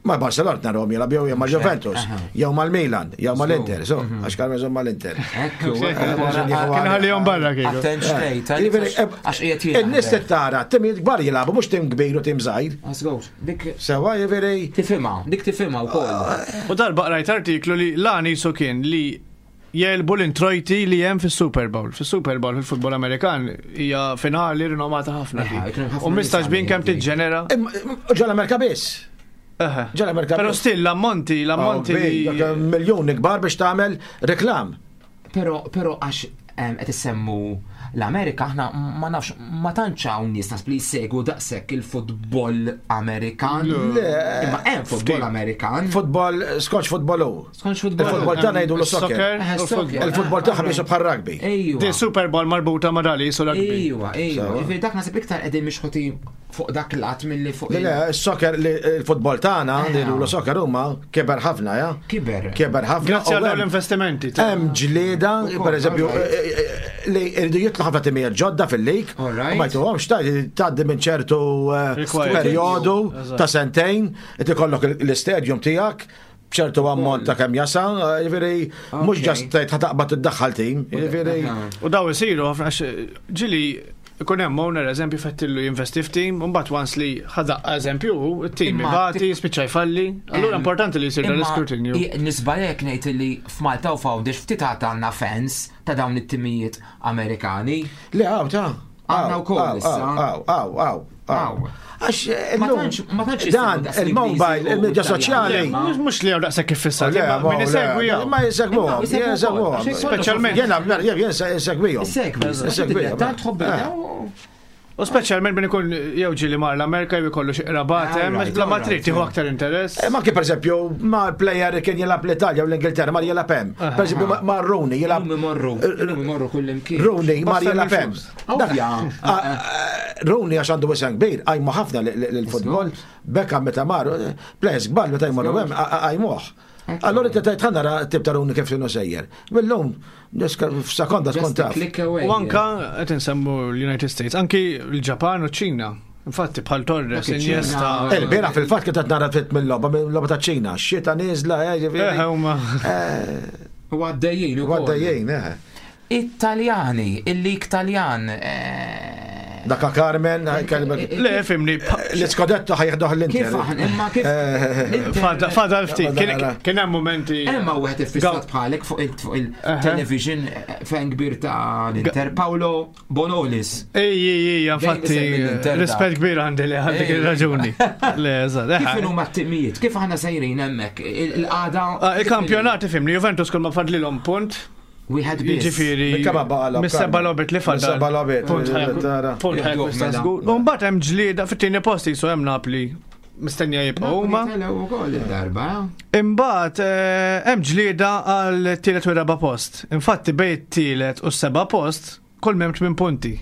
Ma' Barcellona narahom jilgħab jew ma' Juventus, jew mal-Milan, jew mal-Inter, so, għax kalma jżomm mal-Inter. Ekku, Kien Kien ħallihom barra kieku. Attent xtejt, Jiġifieri, eh, għax qiegħed jien. In-nies tara, timijiet kbar jilagħbu, mhux tim kbir u tim żgħir. Għażgħux, dik Sewa jiġifieri tifhimha, dik tifhimha wkoll. U darba qrajt artiklu li l-għan jisu kien li jegħlbu l-introjti li hemm fis-Super Bowl. Fis-Super Bowl fil-futbol Amerikan hija finali rinomata ħafna Eħe, dik. kien hemm ħafna U mistax bin nies kemm għalli. tiġġenera. Ġol Amerika biss. Eħe. Ġol Amerika Però biss. still l-ammonti, l-ammonti Oh, li. big, Miljoni kbar biex tagħmel reklam. Però però għax em, qed issemmu l-Amerika aħna ma nafx ma tantx hawn nies nasb li jsegwu daqshekk il-futbol Amerikan. Le. Imma hemm futbol Amerikan. Futbol, skoċ futbol hu. Skonx futbol. Il-futbol tagħna jgħidu soccer. Eh, u soccer. futbol. Il-futbol tagħha bisu bħal rugby. Ejwa. Di Super Bowl marbuta ma' dali su rugby. Ejwa, ejwa. Sewa. Ġifieri dak nasib iktar qegħdin mixħuti fuq dak il-qatt milli fuq Le, le, il-soccer, li- il-futbol tagħna li jgħidu soccer huma kiber ħafna, ja? Kiber. Kiber ħafna. Grazzi u għal dawn hemm- l-investimenti. Hemm ġlieda, per eżempju, alright. eh, eh, li jridu jitlu ħafna timijiet ġodda fil-lig. Alright. U ma jtuhomx tgħaddi minn ċertu eh, Requirement. perjodu Eżatt. ta' sentejn, qed ikollok l-istadium tiegħek, B'ċertu ammont ta' kemm jasal, jiġifieri mhux just tgħid ħa taqbad iddaħħal tim, jiġifieri. U daw isiru ħafna għax ġieli ikun hemm owner eżempju fettillu jinvesti f'team, u mbagħad once li ħadaq eżempju, it-team Imma ibati, spiċċa jfalli. Allura Em, importanti li jsir dan Imma l-iskrutinju. i- Nisbalek ngħid li f'Malta u f'Għawdex ftit għad għandna fans ta' dawn it-timijiet Amerikani. Le għaw ta' Għandna wkoll issa. Għaw, għaw, għaw, għaw. Għaw. Għax Ma illum, tantx- ma tantx dan jisibu daqs il-mobile, l-Ingliżi u il-medja l-Italjani. soċjali. Ma- Mhux mhux li hawn daqshekk iffissat, Le, imma ma- min le, isegwi hawn. Ma jisegwuhom, Imma jisegwu jisegwuhom. wkoll. Speċjalment- Jena, jena, jena segwihom. Segwi, Segwihom. tant tħobb Eh. U speċjalment min ikun jew ġieli mar l-Amerika jew ikollu xi qrabat hemm, Alright, bla ma alright, trid tieħu yeah. aktar interess. Eh, Ma kif per eżempju, ma l-player kien jilgħab l-Italja u l-Ingilterra, mar jilgħab hemm. Per eżempju, ma- ma Rooney jilgħab Illum imorru, illum imorru kull imkien. Rooney mar Basta jilgħab hemm. mill-flus. Dak- Ovvja. Ah, ah, Rooney għax għandu wisem kbir, għajmu ħafna l-futbol, Beckham meta mar, players kbar meta jmorru hemm, għajmuh. Allora inti tgħid ħa nara tip ta' Rooney kif inhu sejjer. Illum, f'sekonda tkun Just a taf. click away. U anka qed insemmu l-United States, anki l-Ġapan u ċ-Ċina. Infatti bħal Torres, Dak iċ-Ċina. Iniesta. Il-bieraħ fil-fatt kif qed nara ftit mill-logħba, mill-logħba ta' Ċina, xita nieżla, eh, Eh, ġifieri. huma. U għaddejjin ukoll. Għaddejjin, eh. Italjani, il-lig Taljan. eh, Dakka Carmen, kellmek. Le, fimni, L-Scudetto ħa jeħduh l-Inter. Kif aħna, imma kif. Eh, fadal fadal ftit. Kien- Fadal. Kien hemm momenti. Emma wieħed iffissat bħalek fuq il- fuq il-television eh, fan kbir ta' l-Inter, Paolo Bonolis. Ej, ej, ej, infatti, isemmi l-Inter rispett kbir għandi li għandek Ej. il-raġuni. Le, eżatt. Kif huma t-timijiet? Kif aħna sejrin hemmhekk? Il- Il-qagħda. Ah, Il-kampjonat, fimni, Juventus kull ma fadlilhom punt. Wieħed biss. Jiġifieri. Minn kemm baqa' Mis-seba' logħbiet li fadal. Mis-seba' logħbiet, Punt ħajkun- tara. Punt ħajkun Mela. żgur. U mbagħad hemm ġlieda fit-tieni post jisu hemm Napli mistennija jibqgħu huma. Telgħu wkoll id-darba. Imbagħad eh, hemm ġlieda għal tielet u raba' post. Infatti bejn it-tielet u s-seba' post kull m'hemm tmien punti.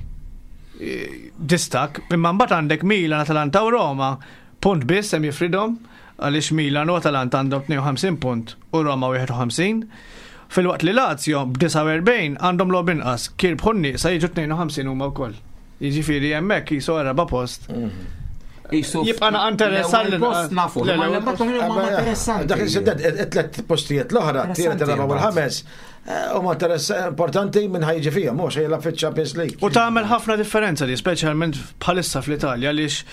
Eh, Distak, imma mbagħad għandek Milan, Atalanta u Roma, punt biss hemm jifridhom għaliex Milan u Atalanta għandhom tnejn u ħamsin punt u Roma wieħed u ħamsin. Filwaqt li Lazio b'disgħa u erbgħin għandhom logħob inqas, kirbħu n-nieqsa jiġu tnejn u ħamsin huma wkoll. Jiġifieri hemmhekk jisu raba' post. Jisu Jibqa' naqa' interessanti. L-ewwel post nafu. Le, Ma l-ewwel l-ewwel post huma interessanti. Dak il-siddet, it-tlet postijiet l-oħra, t-tielet, ir-raba' u l-ħames, eh, huma interess importanti minn ħa jiġi fija, mhux jilgħab fiċ-Champions League. U tagħmel ħafna differenza li speċjalment bħalissa fl-Italja għaliex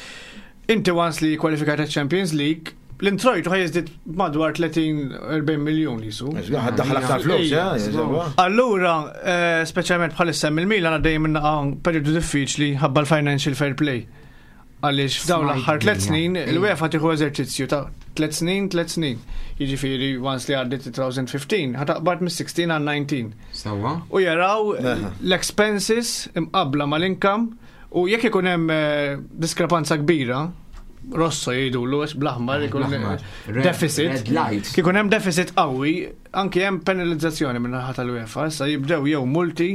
inti once li kwalifikajt Champions League, l-introjtu ħa jiżdied madwar tletin erbgħin miljun jisu. Daħal aktar flus, Ejja, eh, jiżewwa. Allura, eh, speċjalment bħalissa mill-Milan għaddej minn periodu diffiċli ħabba l-financial fair play. Għaliex f'dawn l-aħħar tliet snin, il-UEFA tieħu eżerċizzju ta' tliet snin, tliet snin. Jiġifieri once li għaddit elfejn u ħmistax, ħa taqbad mis-sittax għal dsatax. Sewwa. U jaraw l-expenses imqabla mal-income u jekk ikun hemm eh, diskrepanza kbira, rosso jgħidulu għax bl-aħmar ikun Bl-aħmar. Red- deficit. red light. Kikun hemm deficit qawwi, anki hemm penalizzazzjoni minn naħa tal-UEFA, issa jibdew jew multi,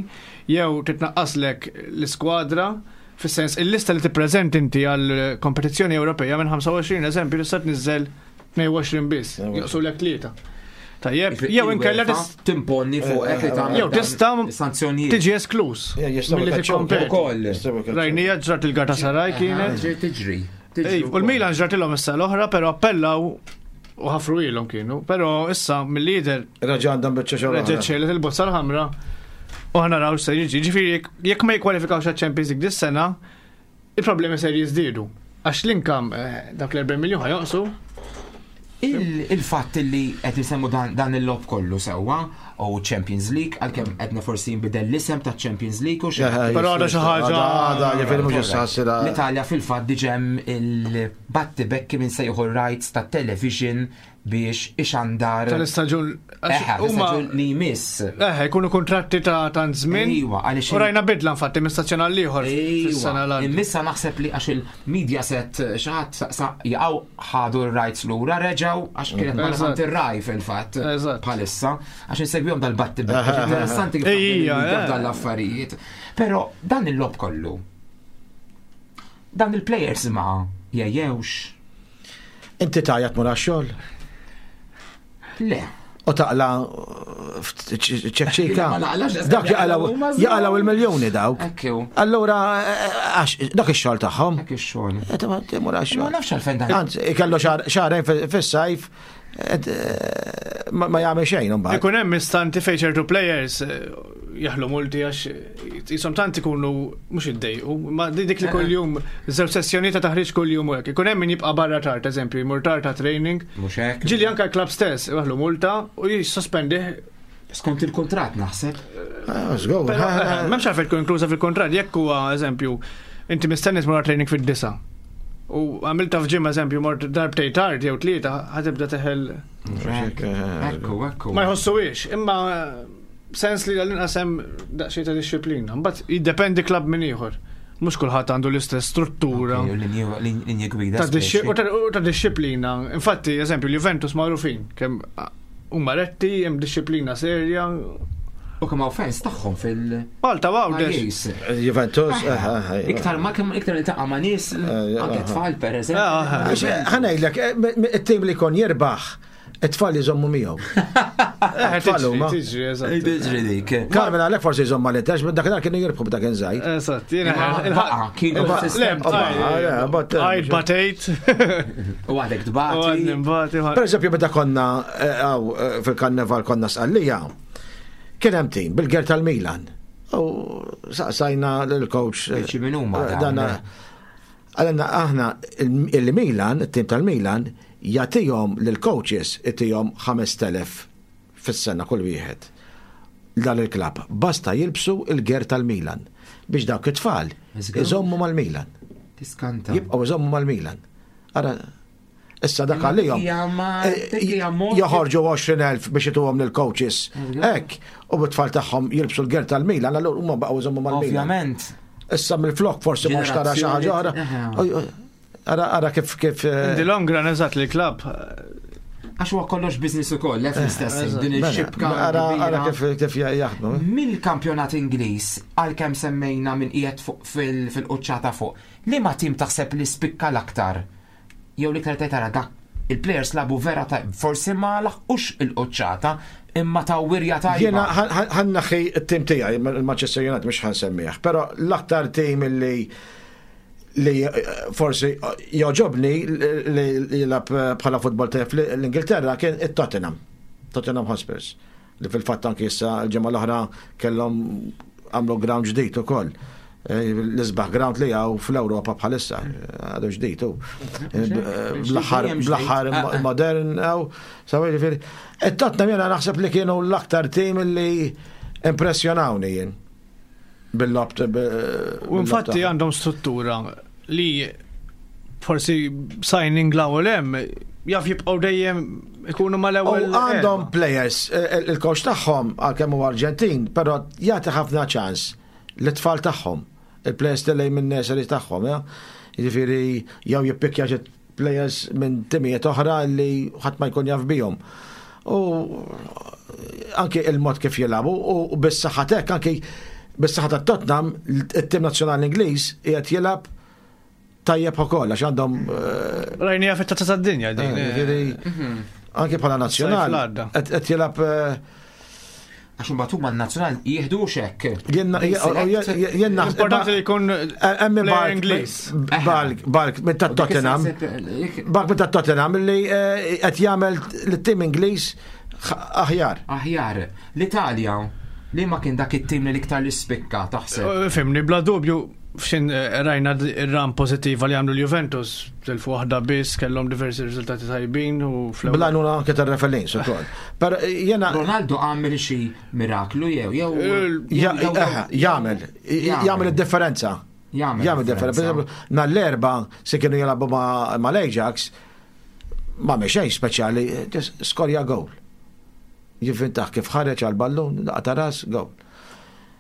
jew titnaqqaslek l-iskwadra, fis-sens il-lista li tippreżent inti għal kompetizzjoni Ewropea minn ħamsa u għoxrin eżempju tista' tniżżel tnejn u għoxrin biss, joqsu lek tlieta. Tajjeb, jew inkella Il-UEFA timponni fuq li tagħmel jew tista' sanzjonijiet. tiġi esklus Ja, jistgħu milli jkaċċawk tikkompeti. Ukoll. Jistgħu jkaċċawk. Rajnija ġrat il-Galatasaray kienet. Tiġri, Tiġri. Ej, U l-Milan ġratilhom issa l-oħra, però appellaw u ħafru ilhom kienu. Però issa mill-lider Raġa għandhom biċċa xogħol. reġgħet xejlet il-bozza l-ħamra u ħa naraw se jiġi. Ġifieri jekk- jekk ma jikkwalifikawx għaċ-Champions League dis-sena, il-problemi ser jiżdiedu. Għax l-income eh, dak l-erbgħin miljun ħa jonqsu. Il- Il-fatt li qed nisemmu dan, dan il-logħob kollu sewwa u Champions League, għalkemm qedna forsi jinbidel l-isem ta' Champions League u xi. Però għadha xi ħaġa- Għadha, ġifieri mhux issa ħassira. L-Italja fil-fatt diġà hemm il-battibekki minn se jieħu rights ta' television biex ixandar Tal-istaġun. għax Eħe, huma- l-istaġun li jmiss. Eh, jkunu kontratti ta' tant żmien. Ejwa, għaliex U rajna bidla infatti minn stazzjon għal ieħor fis-sena Ejwa, l immissa naħseb li għax il-media set xi ħadd sa jaqgħu ħadu r-rights lura reġgħu għax kienet Eżatt. ma ir-raj fil-fatt Eżatt. bħalissa għax insegwihom dal-battibekki interessanti kif Ejja, taħdem il-media eh. dan l-affarijiet. Però dan il-logħob kollu dan il-players ma jejjewx. Inti tajat mura xogħol. Le. U taqla ċekċika. Dak jaqlaw il-miljoni dawk. Allura, dak ix-xogħol tagħhom. Dak ix-xogħol. Ma nafx għalfejn dan. Anzi, ikellu xahrejn fis-sajf ma jagħmel xejn imbagħad. Ikun hemm istanti fejn ċertu players jaħlu multi għax jisom tant ikunu mhux iddejqu, ma dik li kuljum żewġ sessjoni ta' taħriġ kuljum u hekk. Ikun hemm min jibqa' barra tard, eżempju, jmur tard ta' training. Mhux hekk. Ġieli anke l-klabb stess jaħlu multa u jissospendih. Skont il-kuntratt naħseb. M'hemmx għalfejn tkun inkluża fil-kuntratt jekk huwa eżempju inti mistenni tmur training fid-disa. U għamilta f'ġimgħa eżempju mort darbtej tard jew tlieta ħatibda teħel. Ekku, ekku. Ma jħossuhiex, imma sens li għall-inqas hemm daqsxejn ta' disċiplina. Mbagħad jiddependi klabb minn ieħor. Mhux kulħadd għandu l-istess struttura. Linji gwida. U ta' disċiplina. Infatti, eżempju, l-Juventus magħrufin kemm huma retti, hemm disċiplina serja. U kemm hawn fans tagħhom fil- Malta Għawdex. Juventus, iktar ma kemm iktar iltaqa' ma' nies anke tfal pereżempju. Ħa ngħidlek, it-tim li jkun jirbaħ, it-tfal jżommu miegħu. Tfal huma. Tiġri dik. Carmen għalhekk forsi jżomm mal-Inter, dakinhar kienu jirbħu b'dak inżajt. Eżatt, jiena kienu Għajd batejt. U għadek tbati. Per eżempju, meta konna fil-karneval konna Sqallija, kien hemm tim bil-ger tal-Milan. U saqsajna lill-coach. Min huma dan? Għalina aħna il-Milan, it-tim tal-Milan, jagħtihom lill-coaches itihom ħamest elef fis-sena kull wieħed. Dan il-klabb basta jilbsu il-ger tal-Milan biex dawk it-tfal iżommu mal-Milan. Tiskanta. Jibqgħu iżommu mal-Milan. Ara issa dak għalihom joħorġu għoxrin elf biex ituhom lill-coaches. Hekk, u bit-tfal tagħhom jilbsu l-ger tal-Milan, allura huma baqgħu iżommu mal-Milan. Ovvjament. Issa mill-flok forsi mhux tara xi ħaġa oħra. Ara ara kif kif. In the long run eżatt li klabb. Għax huwa kollox business ukoll, lef l-istess din ix-xibka. Ara ara kif kif jaħdmu. Mill-kampjonat Ingliż għalkemm semmejna minn qiegħed fuq fil-quċċata fuq, liema tim taħseb li spikka l-aktar? Jew l-iktar tgħid tara dak il-players labu vera ta' forsi ma laħqux il-quċċata imma ta' wirja tajba. Jiena ħannaħi t-tim tiegħi il-Manchester United mhux ħansemmih, però l-aktar tim li li forsi joġobni li jilgħab bħala futbol tajjeb l-Ingilterra kien it-Tottenham, Tottenham Hotspurs, li fil-fatt anki issa l-ġimgħa l-oħra kellhom għamlu ground ġdid ukoll. L-isbaħ ground li hawn fl-Ewropa bħalissa, għadu ġdid u bl-aħħar modern hawn, sawa jiġifieri. It-Tottenham jiena naħseb li kienu l-aktar tim li impressjonawni jien bil-lob. U infatti għandhom struttura li forsi signing l-ewwel hemm jaf jibqgħu dejjem ikunu mal-ewwel. Għandhom players, il-coach tagħhom għalkemm huwa Arġentin, però jagħti ħafna ċans l-tfal tagħhom, il-players li minn nursery tagħhom, jiġifieri jew jippikja xi players minn timijiet oħra li ħadd ma jkun jaf bihom. U anke il-mod kif jilagħbu u bis-saħħa hekk anke bis-saħħa ta' Tottenham it-tim nazzjonali Ingliż qiegħed jilgħab tajjeb ukoll għax għandhom rajnija fit-tazza tad-dinja din. Anke bħala nazzjonal qed jilgħab għax imbagħad huma n-nazzjonal jieħdu xekk. Jenna importanti li jkun player Ingliż. Balk, balk minn ta' Tottenham. Balk minn ta' Tottenham li qed jagħmel lit-tim Ingliż aħjar. Aħjar. L-Italja li ma kien dak it-tim li l-iktar li spikka taħseb. Fimni, bla dubju f'xin rajna ir-ram pożittiva li għamlu l-Juventus, tilfu waħda biss, kellhom diversi riżultati tajbin u fl-ewwel. Bla nuna anke tar-referins ukoll. Però jiena Ronaldo għamel xi miraklu jew jew jagħmel jagħmel id-differenza. Jagħmel differenza. Per eżempju, nhar l-erba' se kienu jilagħbu mal-Ajax ma xejn speċjali, skorja goal. Jivvintaħ kif ħareġ għal-ballun, daqqa ras, goal.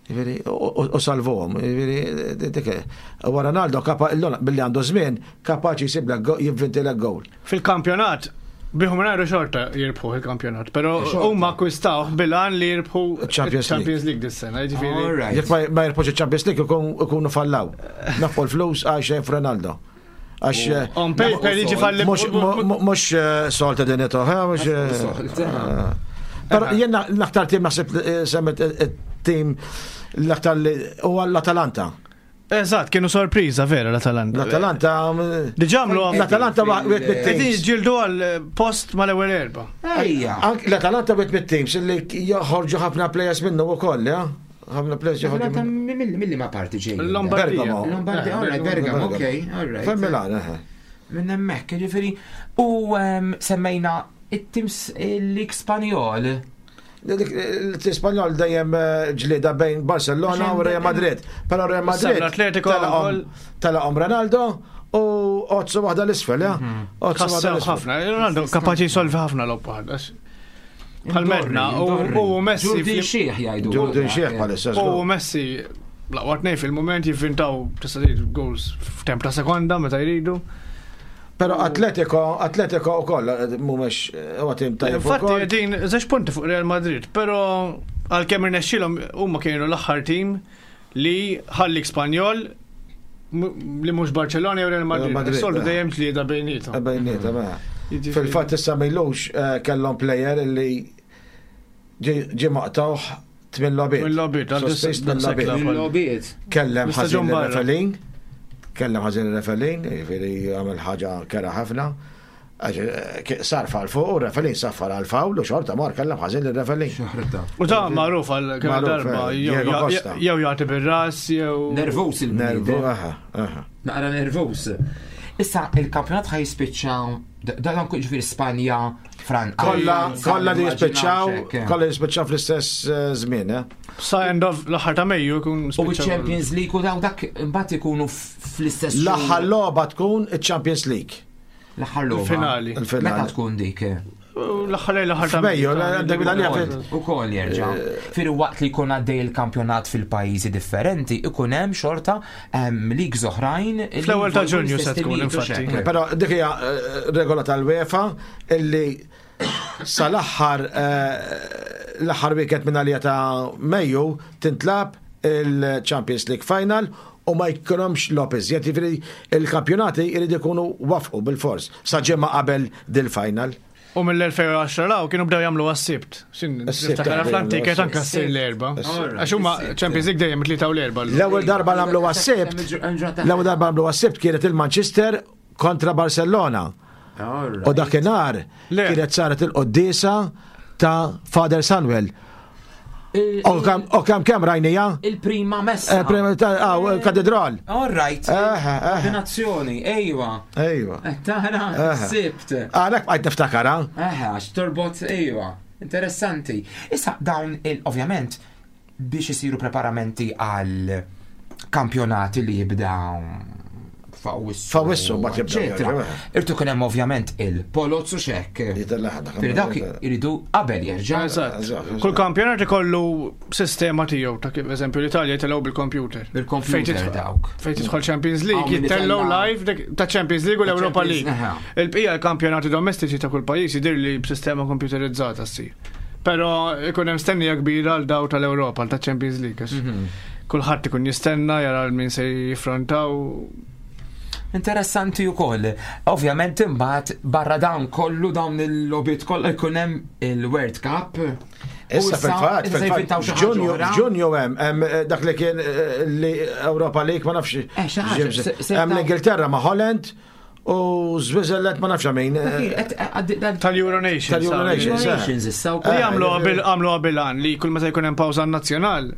U salvuhom. U Ronaldo billi għandu żmien kapaċi jsiblek jivvintilek goal. Fil-kampjonat bihom ngħidu xorta jirbħu il-kampjonat, però huma akkwistawh bil-għan li jirbħu Champions League dis-sena, jiġifieri. Jekk ma jirbħux il-Champions League ikunu fallaw. Nafqu l-flus għal xejn f'Ronaldo. Għax on paper jiġi falli mhux solta din mhux. Però jien l-aktar tim naħseb semmet tim l-aktar li huwa l-Atalanta. Eżatt, kienu sorpriża vera l-Atalanta. L-Atalanta. Diġà għamlu L-Atalanta wieħed mit-teams. Ġildu għal post mal-ewwel erba. Ejja. L-Atalanta wieħed mit-teams li joħorġu ħafna players minnu wkoll, ja? Ħafna players joħorġu. Milli ma parti ġej. Lombardia. Lombardia, all right, Bergamo, ok, all right. Fejn Milan, eħe. Minn hemmhekk, jiġifieri. U semmejna it-teams l-Lig Spanjol. L-Ispanjol dejjem ġlieda bejn Barcelona u Real Madrid. Però Real Madrid telaqhom Ronaldo u ozzu waħda l-isfel, ja? Ozzu waħda l-isfel. Ħafna, Ronaldo kapaċi jsolvi ħafna logħob waħda. Bħal medna u Messi. Ġurdin Xieħ jgħidu. Ġurdin Xieħ bħalissa. U Messi l-aqwa tnejn fil-mument jivvintaw tista' tgħid goals f'temp ta' sekonda meta jridu. Pero Atletico, Atletico u koll, mumiex, u għatim tajjeb. Infatti, din, zex punti fuq Real Madrid, pero għal-kemm irnexxilhom huma kienu l-aħħar tim li ħalli Spanjol li mhux Barcelona jew Real Madrid. Soltu dejjem tlieta bejniethom. Bejniethom, Fil-fatt issa m'ilux kellhom player li ġie maqtawh tmien logħbiet. Tmien logħbiet, tmien logħbiet. Kellem ħażin referee. Kellem ħażin il-referee, jiġifieri għamel ħaġa kera ħafna. Sar fal fuq u referee saffar għal fawl u xorta mar kellem ħażin il-referee. U ta' magħruf għal kemm darba jew jagħti bir-ras jew nervus il-bniedem. Naqra nervus. Issa il-kampjonat ħaj jispiċċa dan jiġifieri Spanja, Franza. Kollha kollha li jispiċċaw, kollha jispiċċaw fl-istess żmien, eh? Sa end of l-aħħar ta' Mejju jkun spiċċaw. U ċ-Champions League u daw dak imbagħad ikunu fl-istess. L-aħħar logħba tkun iċ-Champions League. L-aħħar logħba. Finali. Meta tkun dik? L-aħħar l-aħħar ta' Mejju, għandek bil-għalija. Ukoll jerġa'. Fir waqt li jkun għaddej il-kampjonat fil-pajjiżi differenti, ikun hemm xorta leagues oħrajn. Fl-ewwel ta' Ġunju se tkun infatti. Però dik hija regola tal-UEFA illi sal-aħħar l-aħħar weekend minn għalija ta' Mejju tintlab il-Champions League Final u ma jkunhomx logħob iżjed, jiġifieri il-kampjonati jridu jkunu wafqu bil-fors sa ġimgħa qabel dil-final. U mill-elfejn u għaxra law kienu bdew jagħmlu għas-Sibt. Niftakar fl-antiket anke ssir l-erba. Għax huma Champions League dejjem it-tlieta u l-erba. L-ewwel darba nagħmlu għas-Sibt. L-ewwel darba nagħmlu għas-Sibt kienet il-Manchester kontra Barcellona. U dakinhar kienet saret il-quddiesa ta' Father Samuel. U kemm kemm rajnija? Il-prima messa. Katedral. All right. Ordinazzjoni, ejwa. Ejwa. Tara, Sibt. Għalhekk bqajt niftakara. Eħe, għax torbot, ejwa. Interessanti. Issa dawn il ovvjament biex isiru preparamenti għal kampjonati li jibdaw fawissu. Fawissu, ma tibda. Irtu kien hemm ovvjament il-polozzu xekk. Per dawk iridu qabel jerġa'. Eżatt. Kull kampjonat ikollu sistema tiegħu ta' kif eżempju l-Italja jtellgħu bil-computer. Bil-computer dawk. Fejn tidħol Champions League jittellgħu live ta' Champions League u l-Europa League. Il-bqija l-kampjonati domestiċi ta' kull pajjiż jidher li b'sistema computerizzata ssir. Però ikun hemm stennija kbira għal daw tal-Ewropa, ta' Champions League. Kulħadd ikun jistenna jara min se jiffrontaw. Interessanti wkoll. Ovvjament imbagħad barra dawn kollu dawn il-logħbiet kollha jkun hemm il-World Cup. Issa fil-fatt, fil-fatt, Ġunju hemm dak li kien li Europa League ma nafx. Hemm l-Ingilterra ma' Holland u Switzerland ma nafx min. Tal-Euro Nations. Tal-Euro Nations issa wkoll. Li għamlu għamlu qabilan li kull meta jkun hemm pawża nazzjonal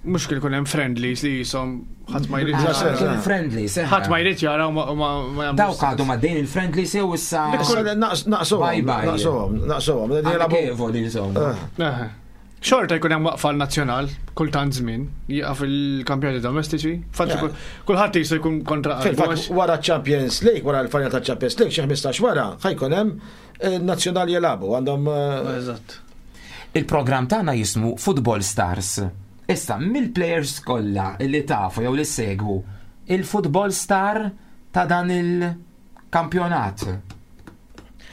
mhux kien ikun hemm friendlies li jisom ħadd ma jrid jara. Friendlies. Ħadd ma jrid jara u ma jagħmlu. Dawk għadhom għaddejn il-friendlies jew issa. Naqsuhom. Naqsuhom, naqsuhom. Insomma. Xorta jkun hemm waqfa nazzjonal kultant żmien jieqaf il-kampjonati domestiċi. Fatt kulħadd jisu jkun kontra. Fil-fatt wara Champions League, wara l-final ta' Champions League xi ħmistax wara ħajkun hemm nazzjonali jilagħbu għandhom. Eżatt. Il-programm tagħna jismu Football Stars. Issa, mill-players kollha li tafu jew li segwu, il-football star ta' dan il-kampjonat.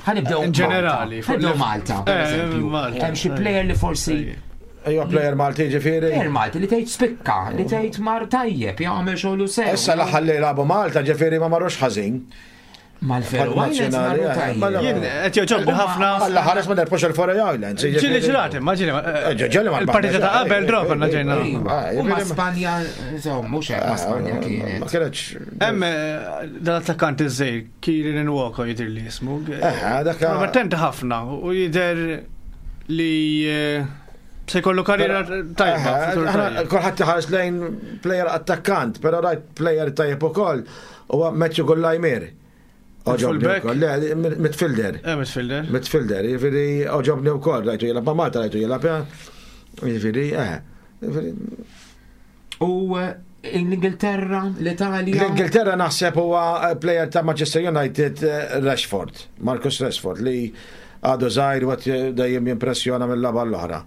Ħanibdew in ġenerali, ħanibdew Malta, per eżempju. Hemm xi player li forsi Ejwa player Malti ġifieri. Player Malti li tgħid spikka, li tgħid mar tajjeb, jagħmel xogħlu sew. Issa l-aħħar li lagħbu Malta ġifieri ma marrux ħażin. Mal-Faroe Islands marru tajjeb. Jien qed jogħġobni ħafna. Alla ħares ma nerbħux il-Faroe Islands. Ġieli ġrati, ma ġieli. Ġieli ma Il-partita ta' qabel draw konna ġejna. U ma' Spanja, insomma, mhux hekk ma' Spanja Ma kienet. kienx. Hemm eh, dal-attakkant iż-żejr, Kieran Nwoko jidher li jismu. Eh, dak. Promettenti ħafna u jidher li eh, se jkollu karriera tajba. futur tajjeb. Kulħadd iħares lejn player attakkant, però rajt player tajjeb ukoll huwa Matthew Gullajmir. Oġobni Fullback? ukoll. Le, midfielder. Eh, midfielder. Midfielder, jiġifieri oġobni wkoll, rajtu jilgħab ma' Malta, rajtu jilgħab jiġifieri, eh. Jiġifieri, U eh, l-Ingilterra, l-Italja. L-Ingilterra naħseb huwa player ta' Manchester United eh, Rashford, Marcus Rashford, li għadu żgħir u qed dejjem jimpressjona mill-laba l-oħra.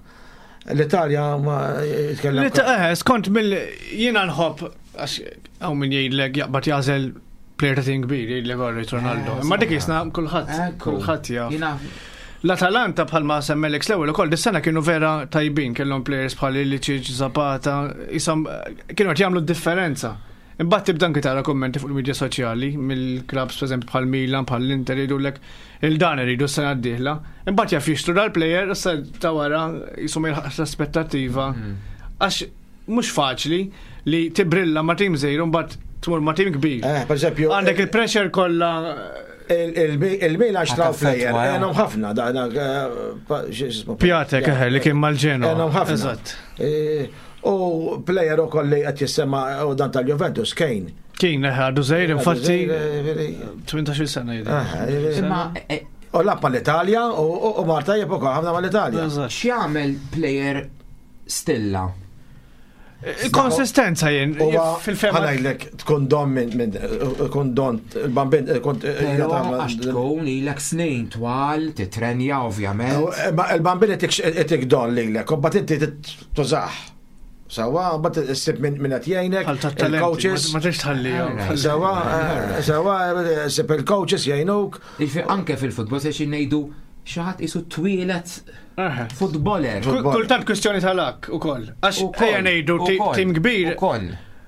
L-Italja ma jitkellem. Li ta' eh, skont mill jiena nħobb għax hawn min jgħidlek jaqbad jagħżel player ta' tim kbir jgħidlek orrejt Ronaldo. Eh, Imma dik jisna kulħadd, Ekku. kulħadd jaf. Jiena L-Atalanta bħalma semmelek l-ewwel ukoll dis-sena kienu vera tajbin, kellhom players bħal Ilicic, Zapata, isom kienu qed jagħmlu d-differenza. Imbagħad tibda anke tara kummenti fuq il-medja soċjali mill-clubs pereżempju bħal Milan, bħal l-Inter jgħidulek il-dan iridu s-sena d-dieħla. Imbagħad jaf jixtru dal-player issa ta' wara jisom jilħaq l-aspettattiva. Għax mhux faċli li tibrilla ma' tim żgħir u mbagħad tmur ma' tim kbir. Eh, per eżempju, Għandek il-pressure kollha il-Milan xtraw player, Ħataffettwa, għenom ħafna, da, da, eh, pa- x'ismu- Pjatek eħe li kien mal-Ġenoa. Għenom ħafna. Eżatt. Eh, U player u kolli qed jissemma u dan tal-Juventus, Kane. Kien eħe għadu żgħir infatti Eh, tmintax-il sena jidher. eh, Imma eh, U lab mal-Italja u u Marta jib ukoll ħafna mal-Italja. Eżatt. x'jagħmel player stilla? Konsistenza jien Huwa fil-fema. ħanajlek tkun don minn minn tkun don il-bambin kont Però għax tkun ilek snin twal, titrenja ovvjament. Il-bambin itik don lilek, u mbagħad inti tużaħ. Sawa, mbagħad issib minn min qed jgħinek, Bħal tat-talenti. il-coaches. Ma tix tħallihom. Alright. Sawa, eh, sawa, issib il-coaches jgħinuk. Jiġifieri anke fil-futbol se xi ngħidu xi ħadd isu twielet Eħe. futboler. Kull- Kultant kwistjoni tal-ak ukoll. Għax Ukoll, ejja ngħidu ti- ukoll, tim kbir Ukoll.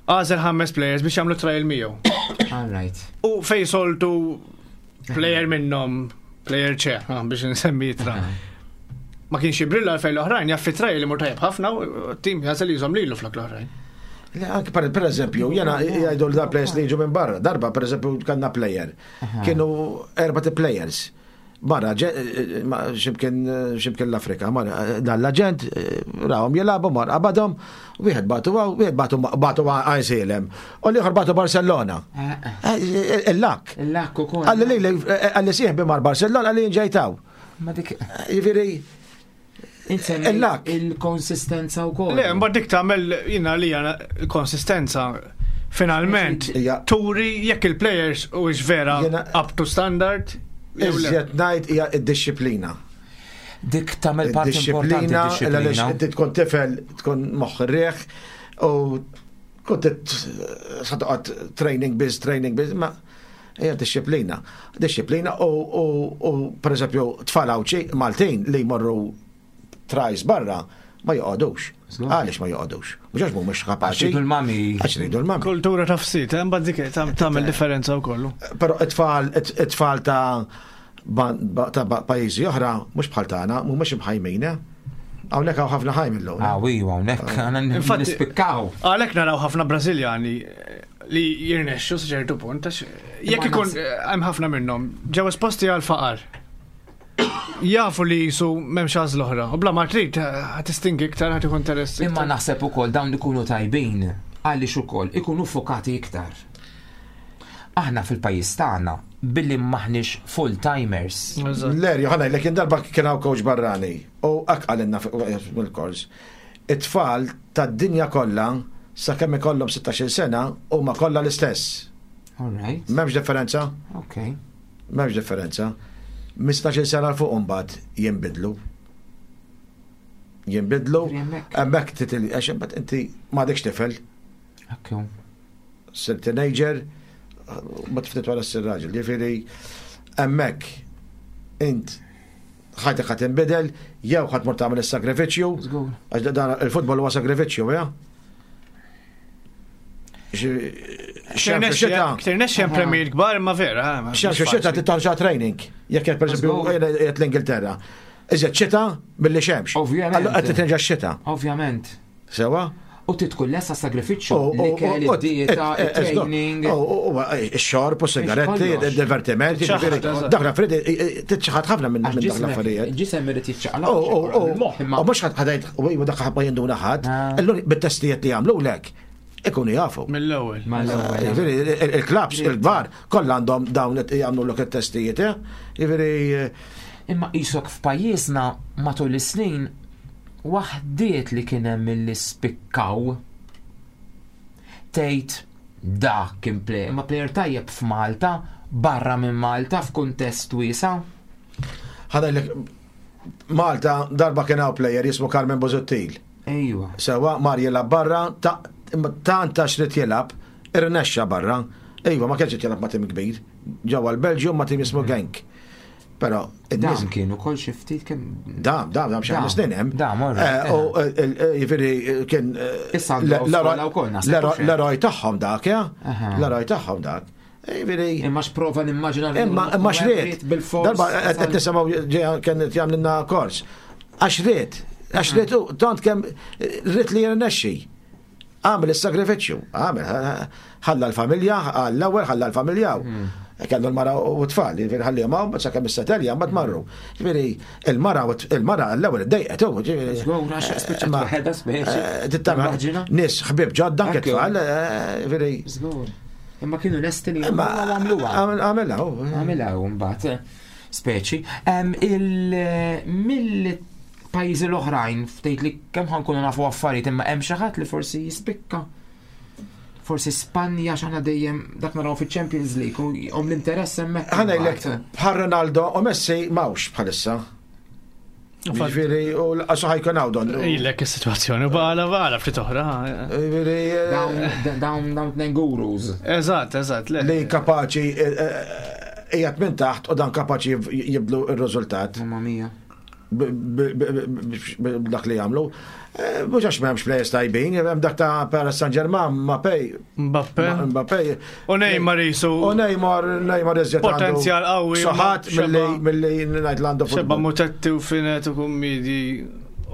għażel ħames players biex jagħmlu trial miegħu. All right. U fej soltu player minnhom player ċe, ah, biex nsemmi jitra. Ma kienx jibrilla għal fejn l-oħrajn, jaff fi trial li mur tajjeb ħafna u tim jażel jużhom lilu flok l-oħrajn. Le, anke per, per eżempju, jena jgħidu l-da players li jiġu minn barra. Darba, per eżempju, kanna player. Kienu erba ti players. Barra, ġe- eh, ma- ximkien ximkien l-Afrika, marra, dan l-agent, eh, rawhom jilagħbu, mar qabadhom, wieħed batu għaw, wieħed batu batu Għajnsielem, u l-ieħor batu Barcellona. Eh, eh. Eh, Il-lak. Il-lak ukoll. Għalli li, għalli sieħbi mar Barcellona, għalli nġejtaw. Ma dik Jiġifieri, insemmi Il-lak. il-konsistenza wkoll. Le, mbagħad dik tagħmel jiena li għana konsistenza finalment Ija. turi jekk il-players u vera Jena- up to standard. jew le. iżjed ngħid hija id-disciplina. Dik tagħmel parti importanti Disciplina, għaliex disciplina. inti tkun tifel, tkun moħħ riħ u kont sa toqgħod training biz, training biz, ma hija disciplina. Disciplina u, u, u per eżempju tfal Għawdxi Maltin li jmorru trajs barra ma joqogħdux. Żgur. Għaliex ma joqogħdux? Mhux għax mhumiex Għax kapaċi. jridu l-mami. Għax jridu l-mami. Kultura ta' fsit, eh, mbagħad dik tam- tagħmel differenza wkoll. Però it-tfal it-tfal ta' ba- ba- ta' ba- pajjiżi oħra mhux bħal tagħna, mhumiex imħajmin. eh? Hawnhekk hawn ħafna ħajm illum. Ah, iju, hawnhekk għandna Infatti- nispikkaw. Għalhekk naraw ħafna Brażiljani eh, li jirnexxu sa ċertu punt għax jekk Imma ikun nas- eh, hemm ħafna minnhom ġew esposti għal faqar. Jafu li jisu m'hemmx għażla oħra. U bla ma trid eh, ħa tistingi iktar ħad ikun interess. Imma iktar. naħseb ukoll dawn ikunu tajbin għaliex ukoll ikunu fokati iktar. Aħna fil-pajjiż tagħna billi maħniex full-timers. Eżatt. Lerju, ħana, l darba kien hawn coach barrani u għalinna mill-kors. It-tfal tad-dinja kollha sakemm ikollhom sittax-il sena huma kollha l-istess. All right. M'hemmx differenza? Okay. M'hemmx differenza. Mistax-il sena l fuq imbagħad jinbidlu. Jinbidlu, Hemmhekk. hemmhekk titil għax imbagħad inti m'għadekx tifel, Ekku. sir teenager, ma tiftit wara s raġel. Ġifieri hemmhekk int ħajtek ħadd inbidel, jew ħadd mur tagħmel is-sagrifiċċju, Żgur. għax dan il-futbol huwa sagrifiċċju, ja? Ġi- Xemx u xita. Ktir nexxi hemm premijiet kbar imma vera. eh, ma- Xemx u xita titarġa training. Jekk qed pereżempju qed l-Ingilterra. Iżjed xita milli xemx. Ovvjament. Allura qed titrenġa x-xita. Ovvjament. Sewa? U titkun lesa sagrifiċċju U- u- li kelli u- id-dieta, eh, eh, il-training. u- u- u- Ix-xorb u sigaretti, Kollox. il-divertimenti, Ċaħad, ġifieri, eżatt. dak l-affarijiet titċaħad ħafna minn Għax minn dak ġismek- l-affarijiet. Ġisem irid jiċċaqlaq. U u- u- Il-moħħ imma u mhux ħadd ħadajt u dak ħadd ma jinduna ħadd, Ah. allura bit-testijiet li jagħmlu lek ikunu jafu. Mill-ewwel. mal-ewwel. Jiġifieri, il- il-klabs, il-kbar, kollha għandhom dawn qed jagħmlu lok it-testijiet, eh? Jiġifieri eh, Imma qisok f'pajjiżna matul is-snin waħdiet li kien hemm milli spikkaw tgħid dak kien player, imma player tajjeb f'Malta, barra minn Malta f'kuntest wiesa'. ħadajlek Malta darba kien hawn player jismu Carmen Bozuttil. Ejwa. Sewa mar jilgħab barra, ta' tant għax rid jilgħab, irnexxa barra. Ejwa, ma kienx qed jilgħab ma' tim kbir. Ġewwa l-Belġium ma' tim jismu Genk. Però in-nies Dam kien ukoll xi ftit kemm Dam, dam, dam xi Dam, ħames snin hemm. dam, all right, Eh, U eh, eh, jiġifieri eh, kien eh, Issa għandu l- skola l-eroj- wkoll naħseb, l-eroj- hux hekk? L-eroj tagħhom dak, ja? Aha. L-eroj tagħhom dak. Jiġifieri Imma x'prova nimmaġina li Imma imma xriet. bil-fors. Darba qed qed nisimgħu ġejja kien qed jagħmlilna kors. Għax ried, għax ried u tant kemm ried li jirnexxi. Għamel is-sagrifiċċju, għamel, ħalla l-familja, għall-ewwel ħalla l-familja. Kellu l-mara u t-tfal, jiġifieri ħallihom hawn, sakemm is-setelja mbagħad marru. Jiġifieri il-mara u il-mara l-ewwel iddejqet u jiġifieri. Żgur, għax spiċċat Imma, waħedha speċi. eh, tittamel Immaġina. Nies ħbieb ġodda anke Ekku. tfal, eh, jiġifieri. Żgur. Imma kienu lesti li Imma għamluha. Għamilha, u. Għamilha u mbagħad eh, speċi. Em, il mill-pajjiżi l-oħrajn ftejt li kemm ħankunu nafu affarijiet imma hemm xi ħadd li forsi jispikka. Forsi Spanja x'aħna dejjem dak naraw fiċ-Champions League u jqom l-interess hemmhekk. Ħanajlek imbagħad. bħal Ronaldo u Messi mawx bħalissa. Ġifieri u l-qasu ħajkun hawn don. Ilek is-sitwazzjoni bħala bħala ftit oħra. Ġifieri eh, Dawn dawn dawn tnejn gurus. Eżatt, eżatt, le. li kapaċi eh, eh, qiegħed minn taħt u dan kapaċi jibdlu r-riżultat Mamma mia. b- b- b- b- b'dak li jagħmlu. Eh, Mhux għax m'hemmx players tajbin, hemm dak ta' Paris Saint-Germain, Mbappé, Mbappe. Mbappé. U Neymar jisu. U Neymar, Neymar iżjed għandu Potenzjal qawwi, Soħat xeba- milli milli ngħid l-għandu Xebba futbol. mutetti u finet u kummidi.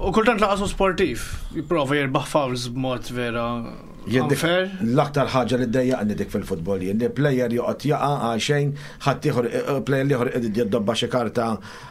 U kultant laqasu sportiv. Jipprova jirbaħ fouls b'mod vera Jien dik- unfair. L-aktar ħaġa li ddejjaqni dik fil-futbol jien li player joqgħod jaqa' għal xejn, ħadd ieħor eh, player ieħor qed jiddobba xi karta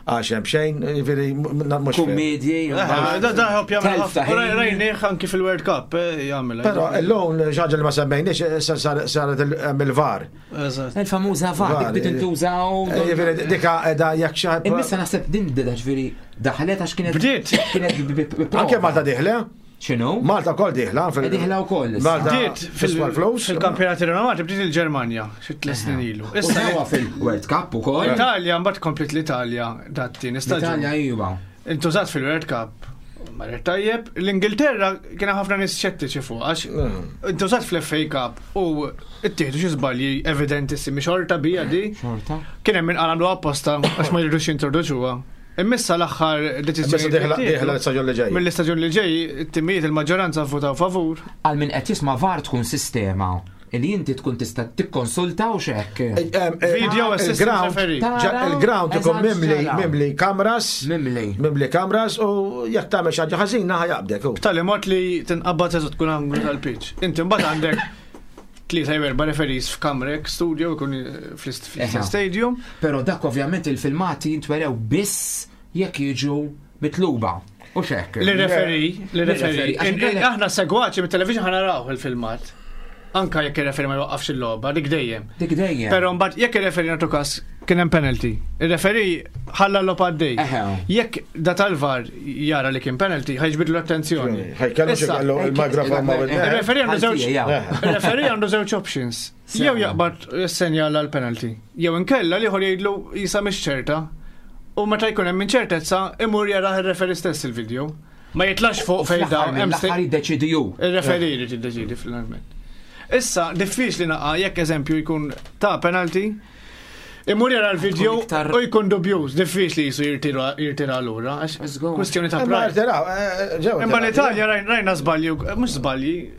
għal xejn xejn, jiġifieri m- mhux fair. Kummedji. Eh, Da da ħobb jagħmel Telf ta' ħafna. ħin. Rajnieh anki fil-World Cup eh, jagħmel. Però illum xi ħaġa li ma semmejniex eh, sa- sar- saret il- hemm il-VAR. Eżatt. Il-famuża VAR, dik bdiet intużaw. Eh, Jiġifieri dika qiegħda jekk xi ħadd. Immissa naħseb din bdiet ġifieri daħlet għax kienet Bdiet. Kienet bi- bi- bi- Anke Malta dieħla, X'inhu? Malta wkoll dieħla. fil- Dieħla wkoll issa. Malta Bdiet tiswa l-flus. fil-kampjonati renomati bdiet il-Ġermanja xi tliet snin ilu. Issa Issa huwa fil-World Cup ukoll. l-Italja mbagħad komplet l-Italja dat-tieni staġun. L-Italja iva. Intużat fil-World Cup. Marret tajjeb, l-Ingilterra kien hemm ħafna nies xettiċi fuq għax intużat fl-FA Cup u ittieħdu xi żbalji evidentissimi xorta bija di. Xorta. Kien hemm min qal għamlu apposta għax ma jridux jintroduċuha. Immissa l-aħħar Immissa deċiżjoni. dieħla dieħla l-istaġun li ġej. Mill-istaġun li ġej, it-timijiet il-maġġoranza votaw favur. Għal min qed jisma' VAR tkun sistema li inti tkun tista' tikkonsulta u x'hekk. Video assistant Il-ground referee. Tara, il-ground ikun eżatt mimli xara. mimli kameras, Mimli. mimli kameras u jekk tagħmel xi ħaġa ħażina ħajaqbdek. hu. B'tali mod li tinqabad eżatt tkun anglu tal-pitch. Inti mbagħad għandek tlieta jew erba' referees f'kamrek, studio jkun fl-ist- Eħe. fl-istess stadium. Però dak ovvjament il-filmati jintwerew biss jekk jiġu mitluba. U x'hekk. L-referi, l-referi. L-referi, għax inkella- Aħna segwaċi mit-television ħa naraw il-filmat. Anka jekk ir-referi ma jwaqqafx il-logħba, dik dejjem. Dik dejjem. Però mbagħad jekk ir-referi nagħtu każ kien hemm penalty. Ir-referi ħalla l-logħba għaddej. Eħe. Jekk da tal-VAR jara li kien penalty, ħajġbidlu l-attenzjoni. Ħajkellu xi Issa, kellu il-mikrofon ma' Eh, Ir-referi għandu żewġ Ħaltija, ja. Ir-referi għandu żewġ options. Sewa. Jew jaqbad jessenjala l-penalty. Jew inkella li jgħidlu jisa mhix ċerta. U meta jkun hemm inċertezza, imur jarah ir-referi stess il-video. Ma jitlax fuq fejn Fl-aħħar dawn hemm mill-aħħar jiddeċidi hu. Ir-referi jrid jiddeċidi finalment. Issa, diffiċli naqa' jekk eżempju jkun ta' penalty, imur jara l-video Tkun iktar- u jkun dubjuż, diffiċli jisu jirtira jirtira lura, għax Let's go. kwestjoni ta' Imma pride. irtiraw, eh, ġew Imma irtiraw. l-Italja rajna żbalji, mhux żbalji,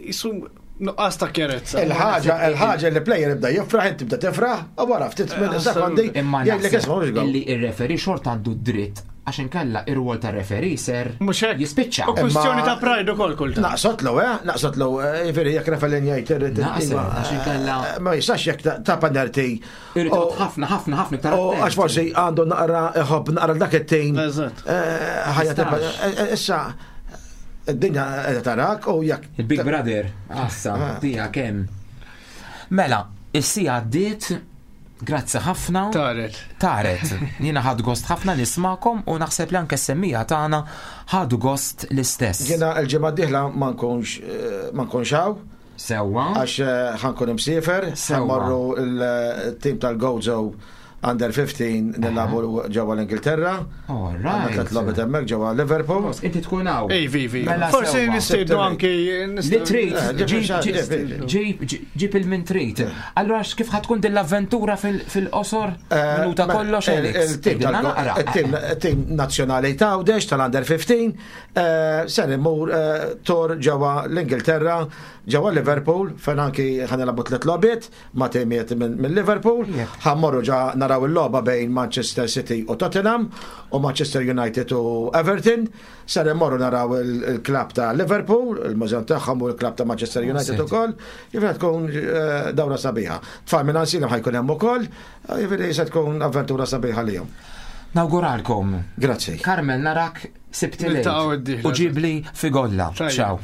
jisu Nuqqas ta' kjerezza. Il-ħaġa, il-ħaġa li player ibda jifraħ, inti tibda tifraħ, u wara ftit minn Eh, sekondi Imma jgħidlek naħseb isma' mhux goal. illi ir-referee xorta għandu dritt għax inkella ir-rwol tar-referee ser Mhux hekk. jispiċċa. U kwistjoni Imma- ta' pride ukoll kultant. Naqsotlu, eh? Naqsotlu, eh, jiġifieri jekk referee jgħid irrid. Naqseb, iva, għax inkella- eh, Ma jistax jekk ta- ta' penalty. Irrid U- toqgħod ħafna ħafna ħafna iktar U attent. għax forsi għandu naqra iħobb naqra dak it-tim. Eżatt. Eh, ħajja Tistax. tibqa- eh, eh, Issa, id-dinja qiegħda tarak u jekk. Il-Big Brother, assa, Ah. tija kemm. Mela, is-sija għaddiet, grazzi ħafna. Taret. Taret, jiena ħad gost ħafna nismakom u naħseb li anke s-semmija tagħna ħadu gost l-istess. Jiena l-ġimgħa d-dieħla ma nkunx eh, ma nkunx hawn Sewwa. għax eh, ħankun imsiefer, Sewwa. ħammorru il-tim tal-Gozo Under fifteen nilagħbu ġewwa l-Ingilterra. All Għandna right. tliet logħbiet hemmhekk ġewwa Liverpool. Inti tkun hawn. Ej, vivi. Mela Forsi sewwa. nistiednu anki. Li trid, Eh, ġib ġib- il-xar, ġib- ġib- ġib ġib il-min trid. Allura kif ħatkun din l-avventura fil- fil-qosor? Eh, Minuta mela, kollox, il- Alex. Il-tim Għidilna tal- naqra. il-tim- il-tim nazzjonali ta' Għawdex tal-Under fifteen eh, ser imur eh, tor ġewwa l-Ingilterra, ġewwa Liverpool, fejn anki ħanilagħbu tliet logħbiet ma' timijiet minn minn Liverpool. Ħammorru ġa naraw il-logħba bejn Manchester City u Tottenham u Manchester United u Everton. Ser immorru naraw il- il-klab ta' Liverpool, il-mużew tagħhom u l-klab ta' Manchester United City. ukoll. Jiġifieri tkun eh, dawra sabiħa. Tfal minn Ansilem ħajkun hemm ukoll, jiġifieri se tkun avventura sabiħa lihom. Nawguralkom. Grazzi. Carmel narak Sibt Niltaqgħu il-lejl. d-dieħla. U ġibli figolla. Tajjeb. Ciao.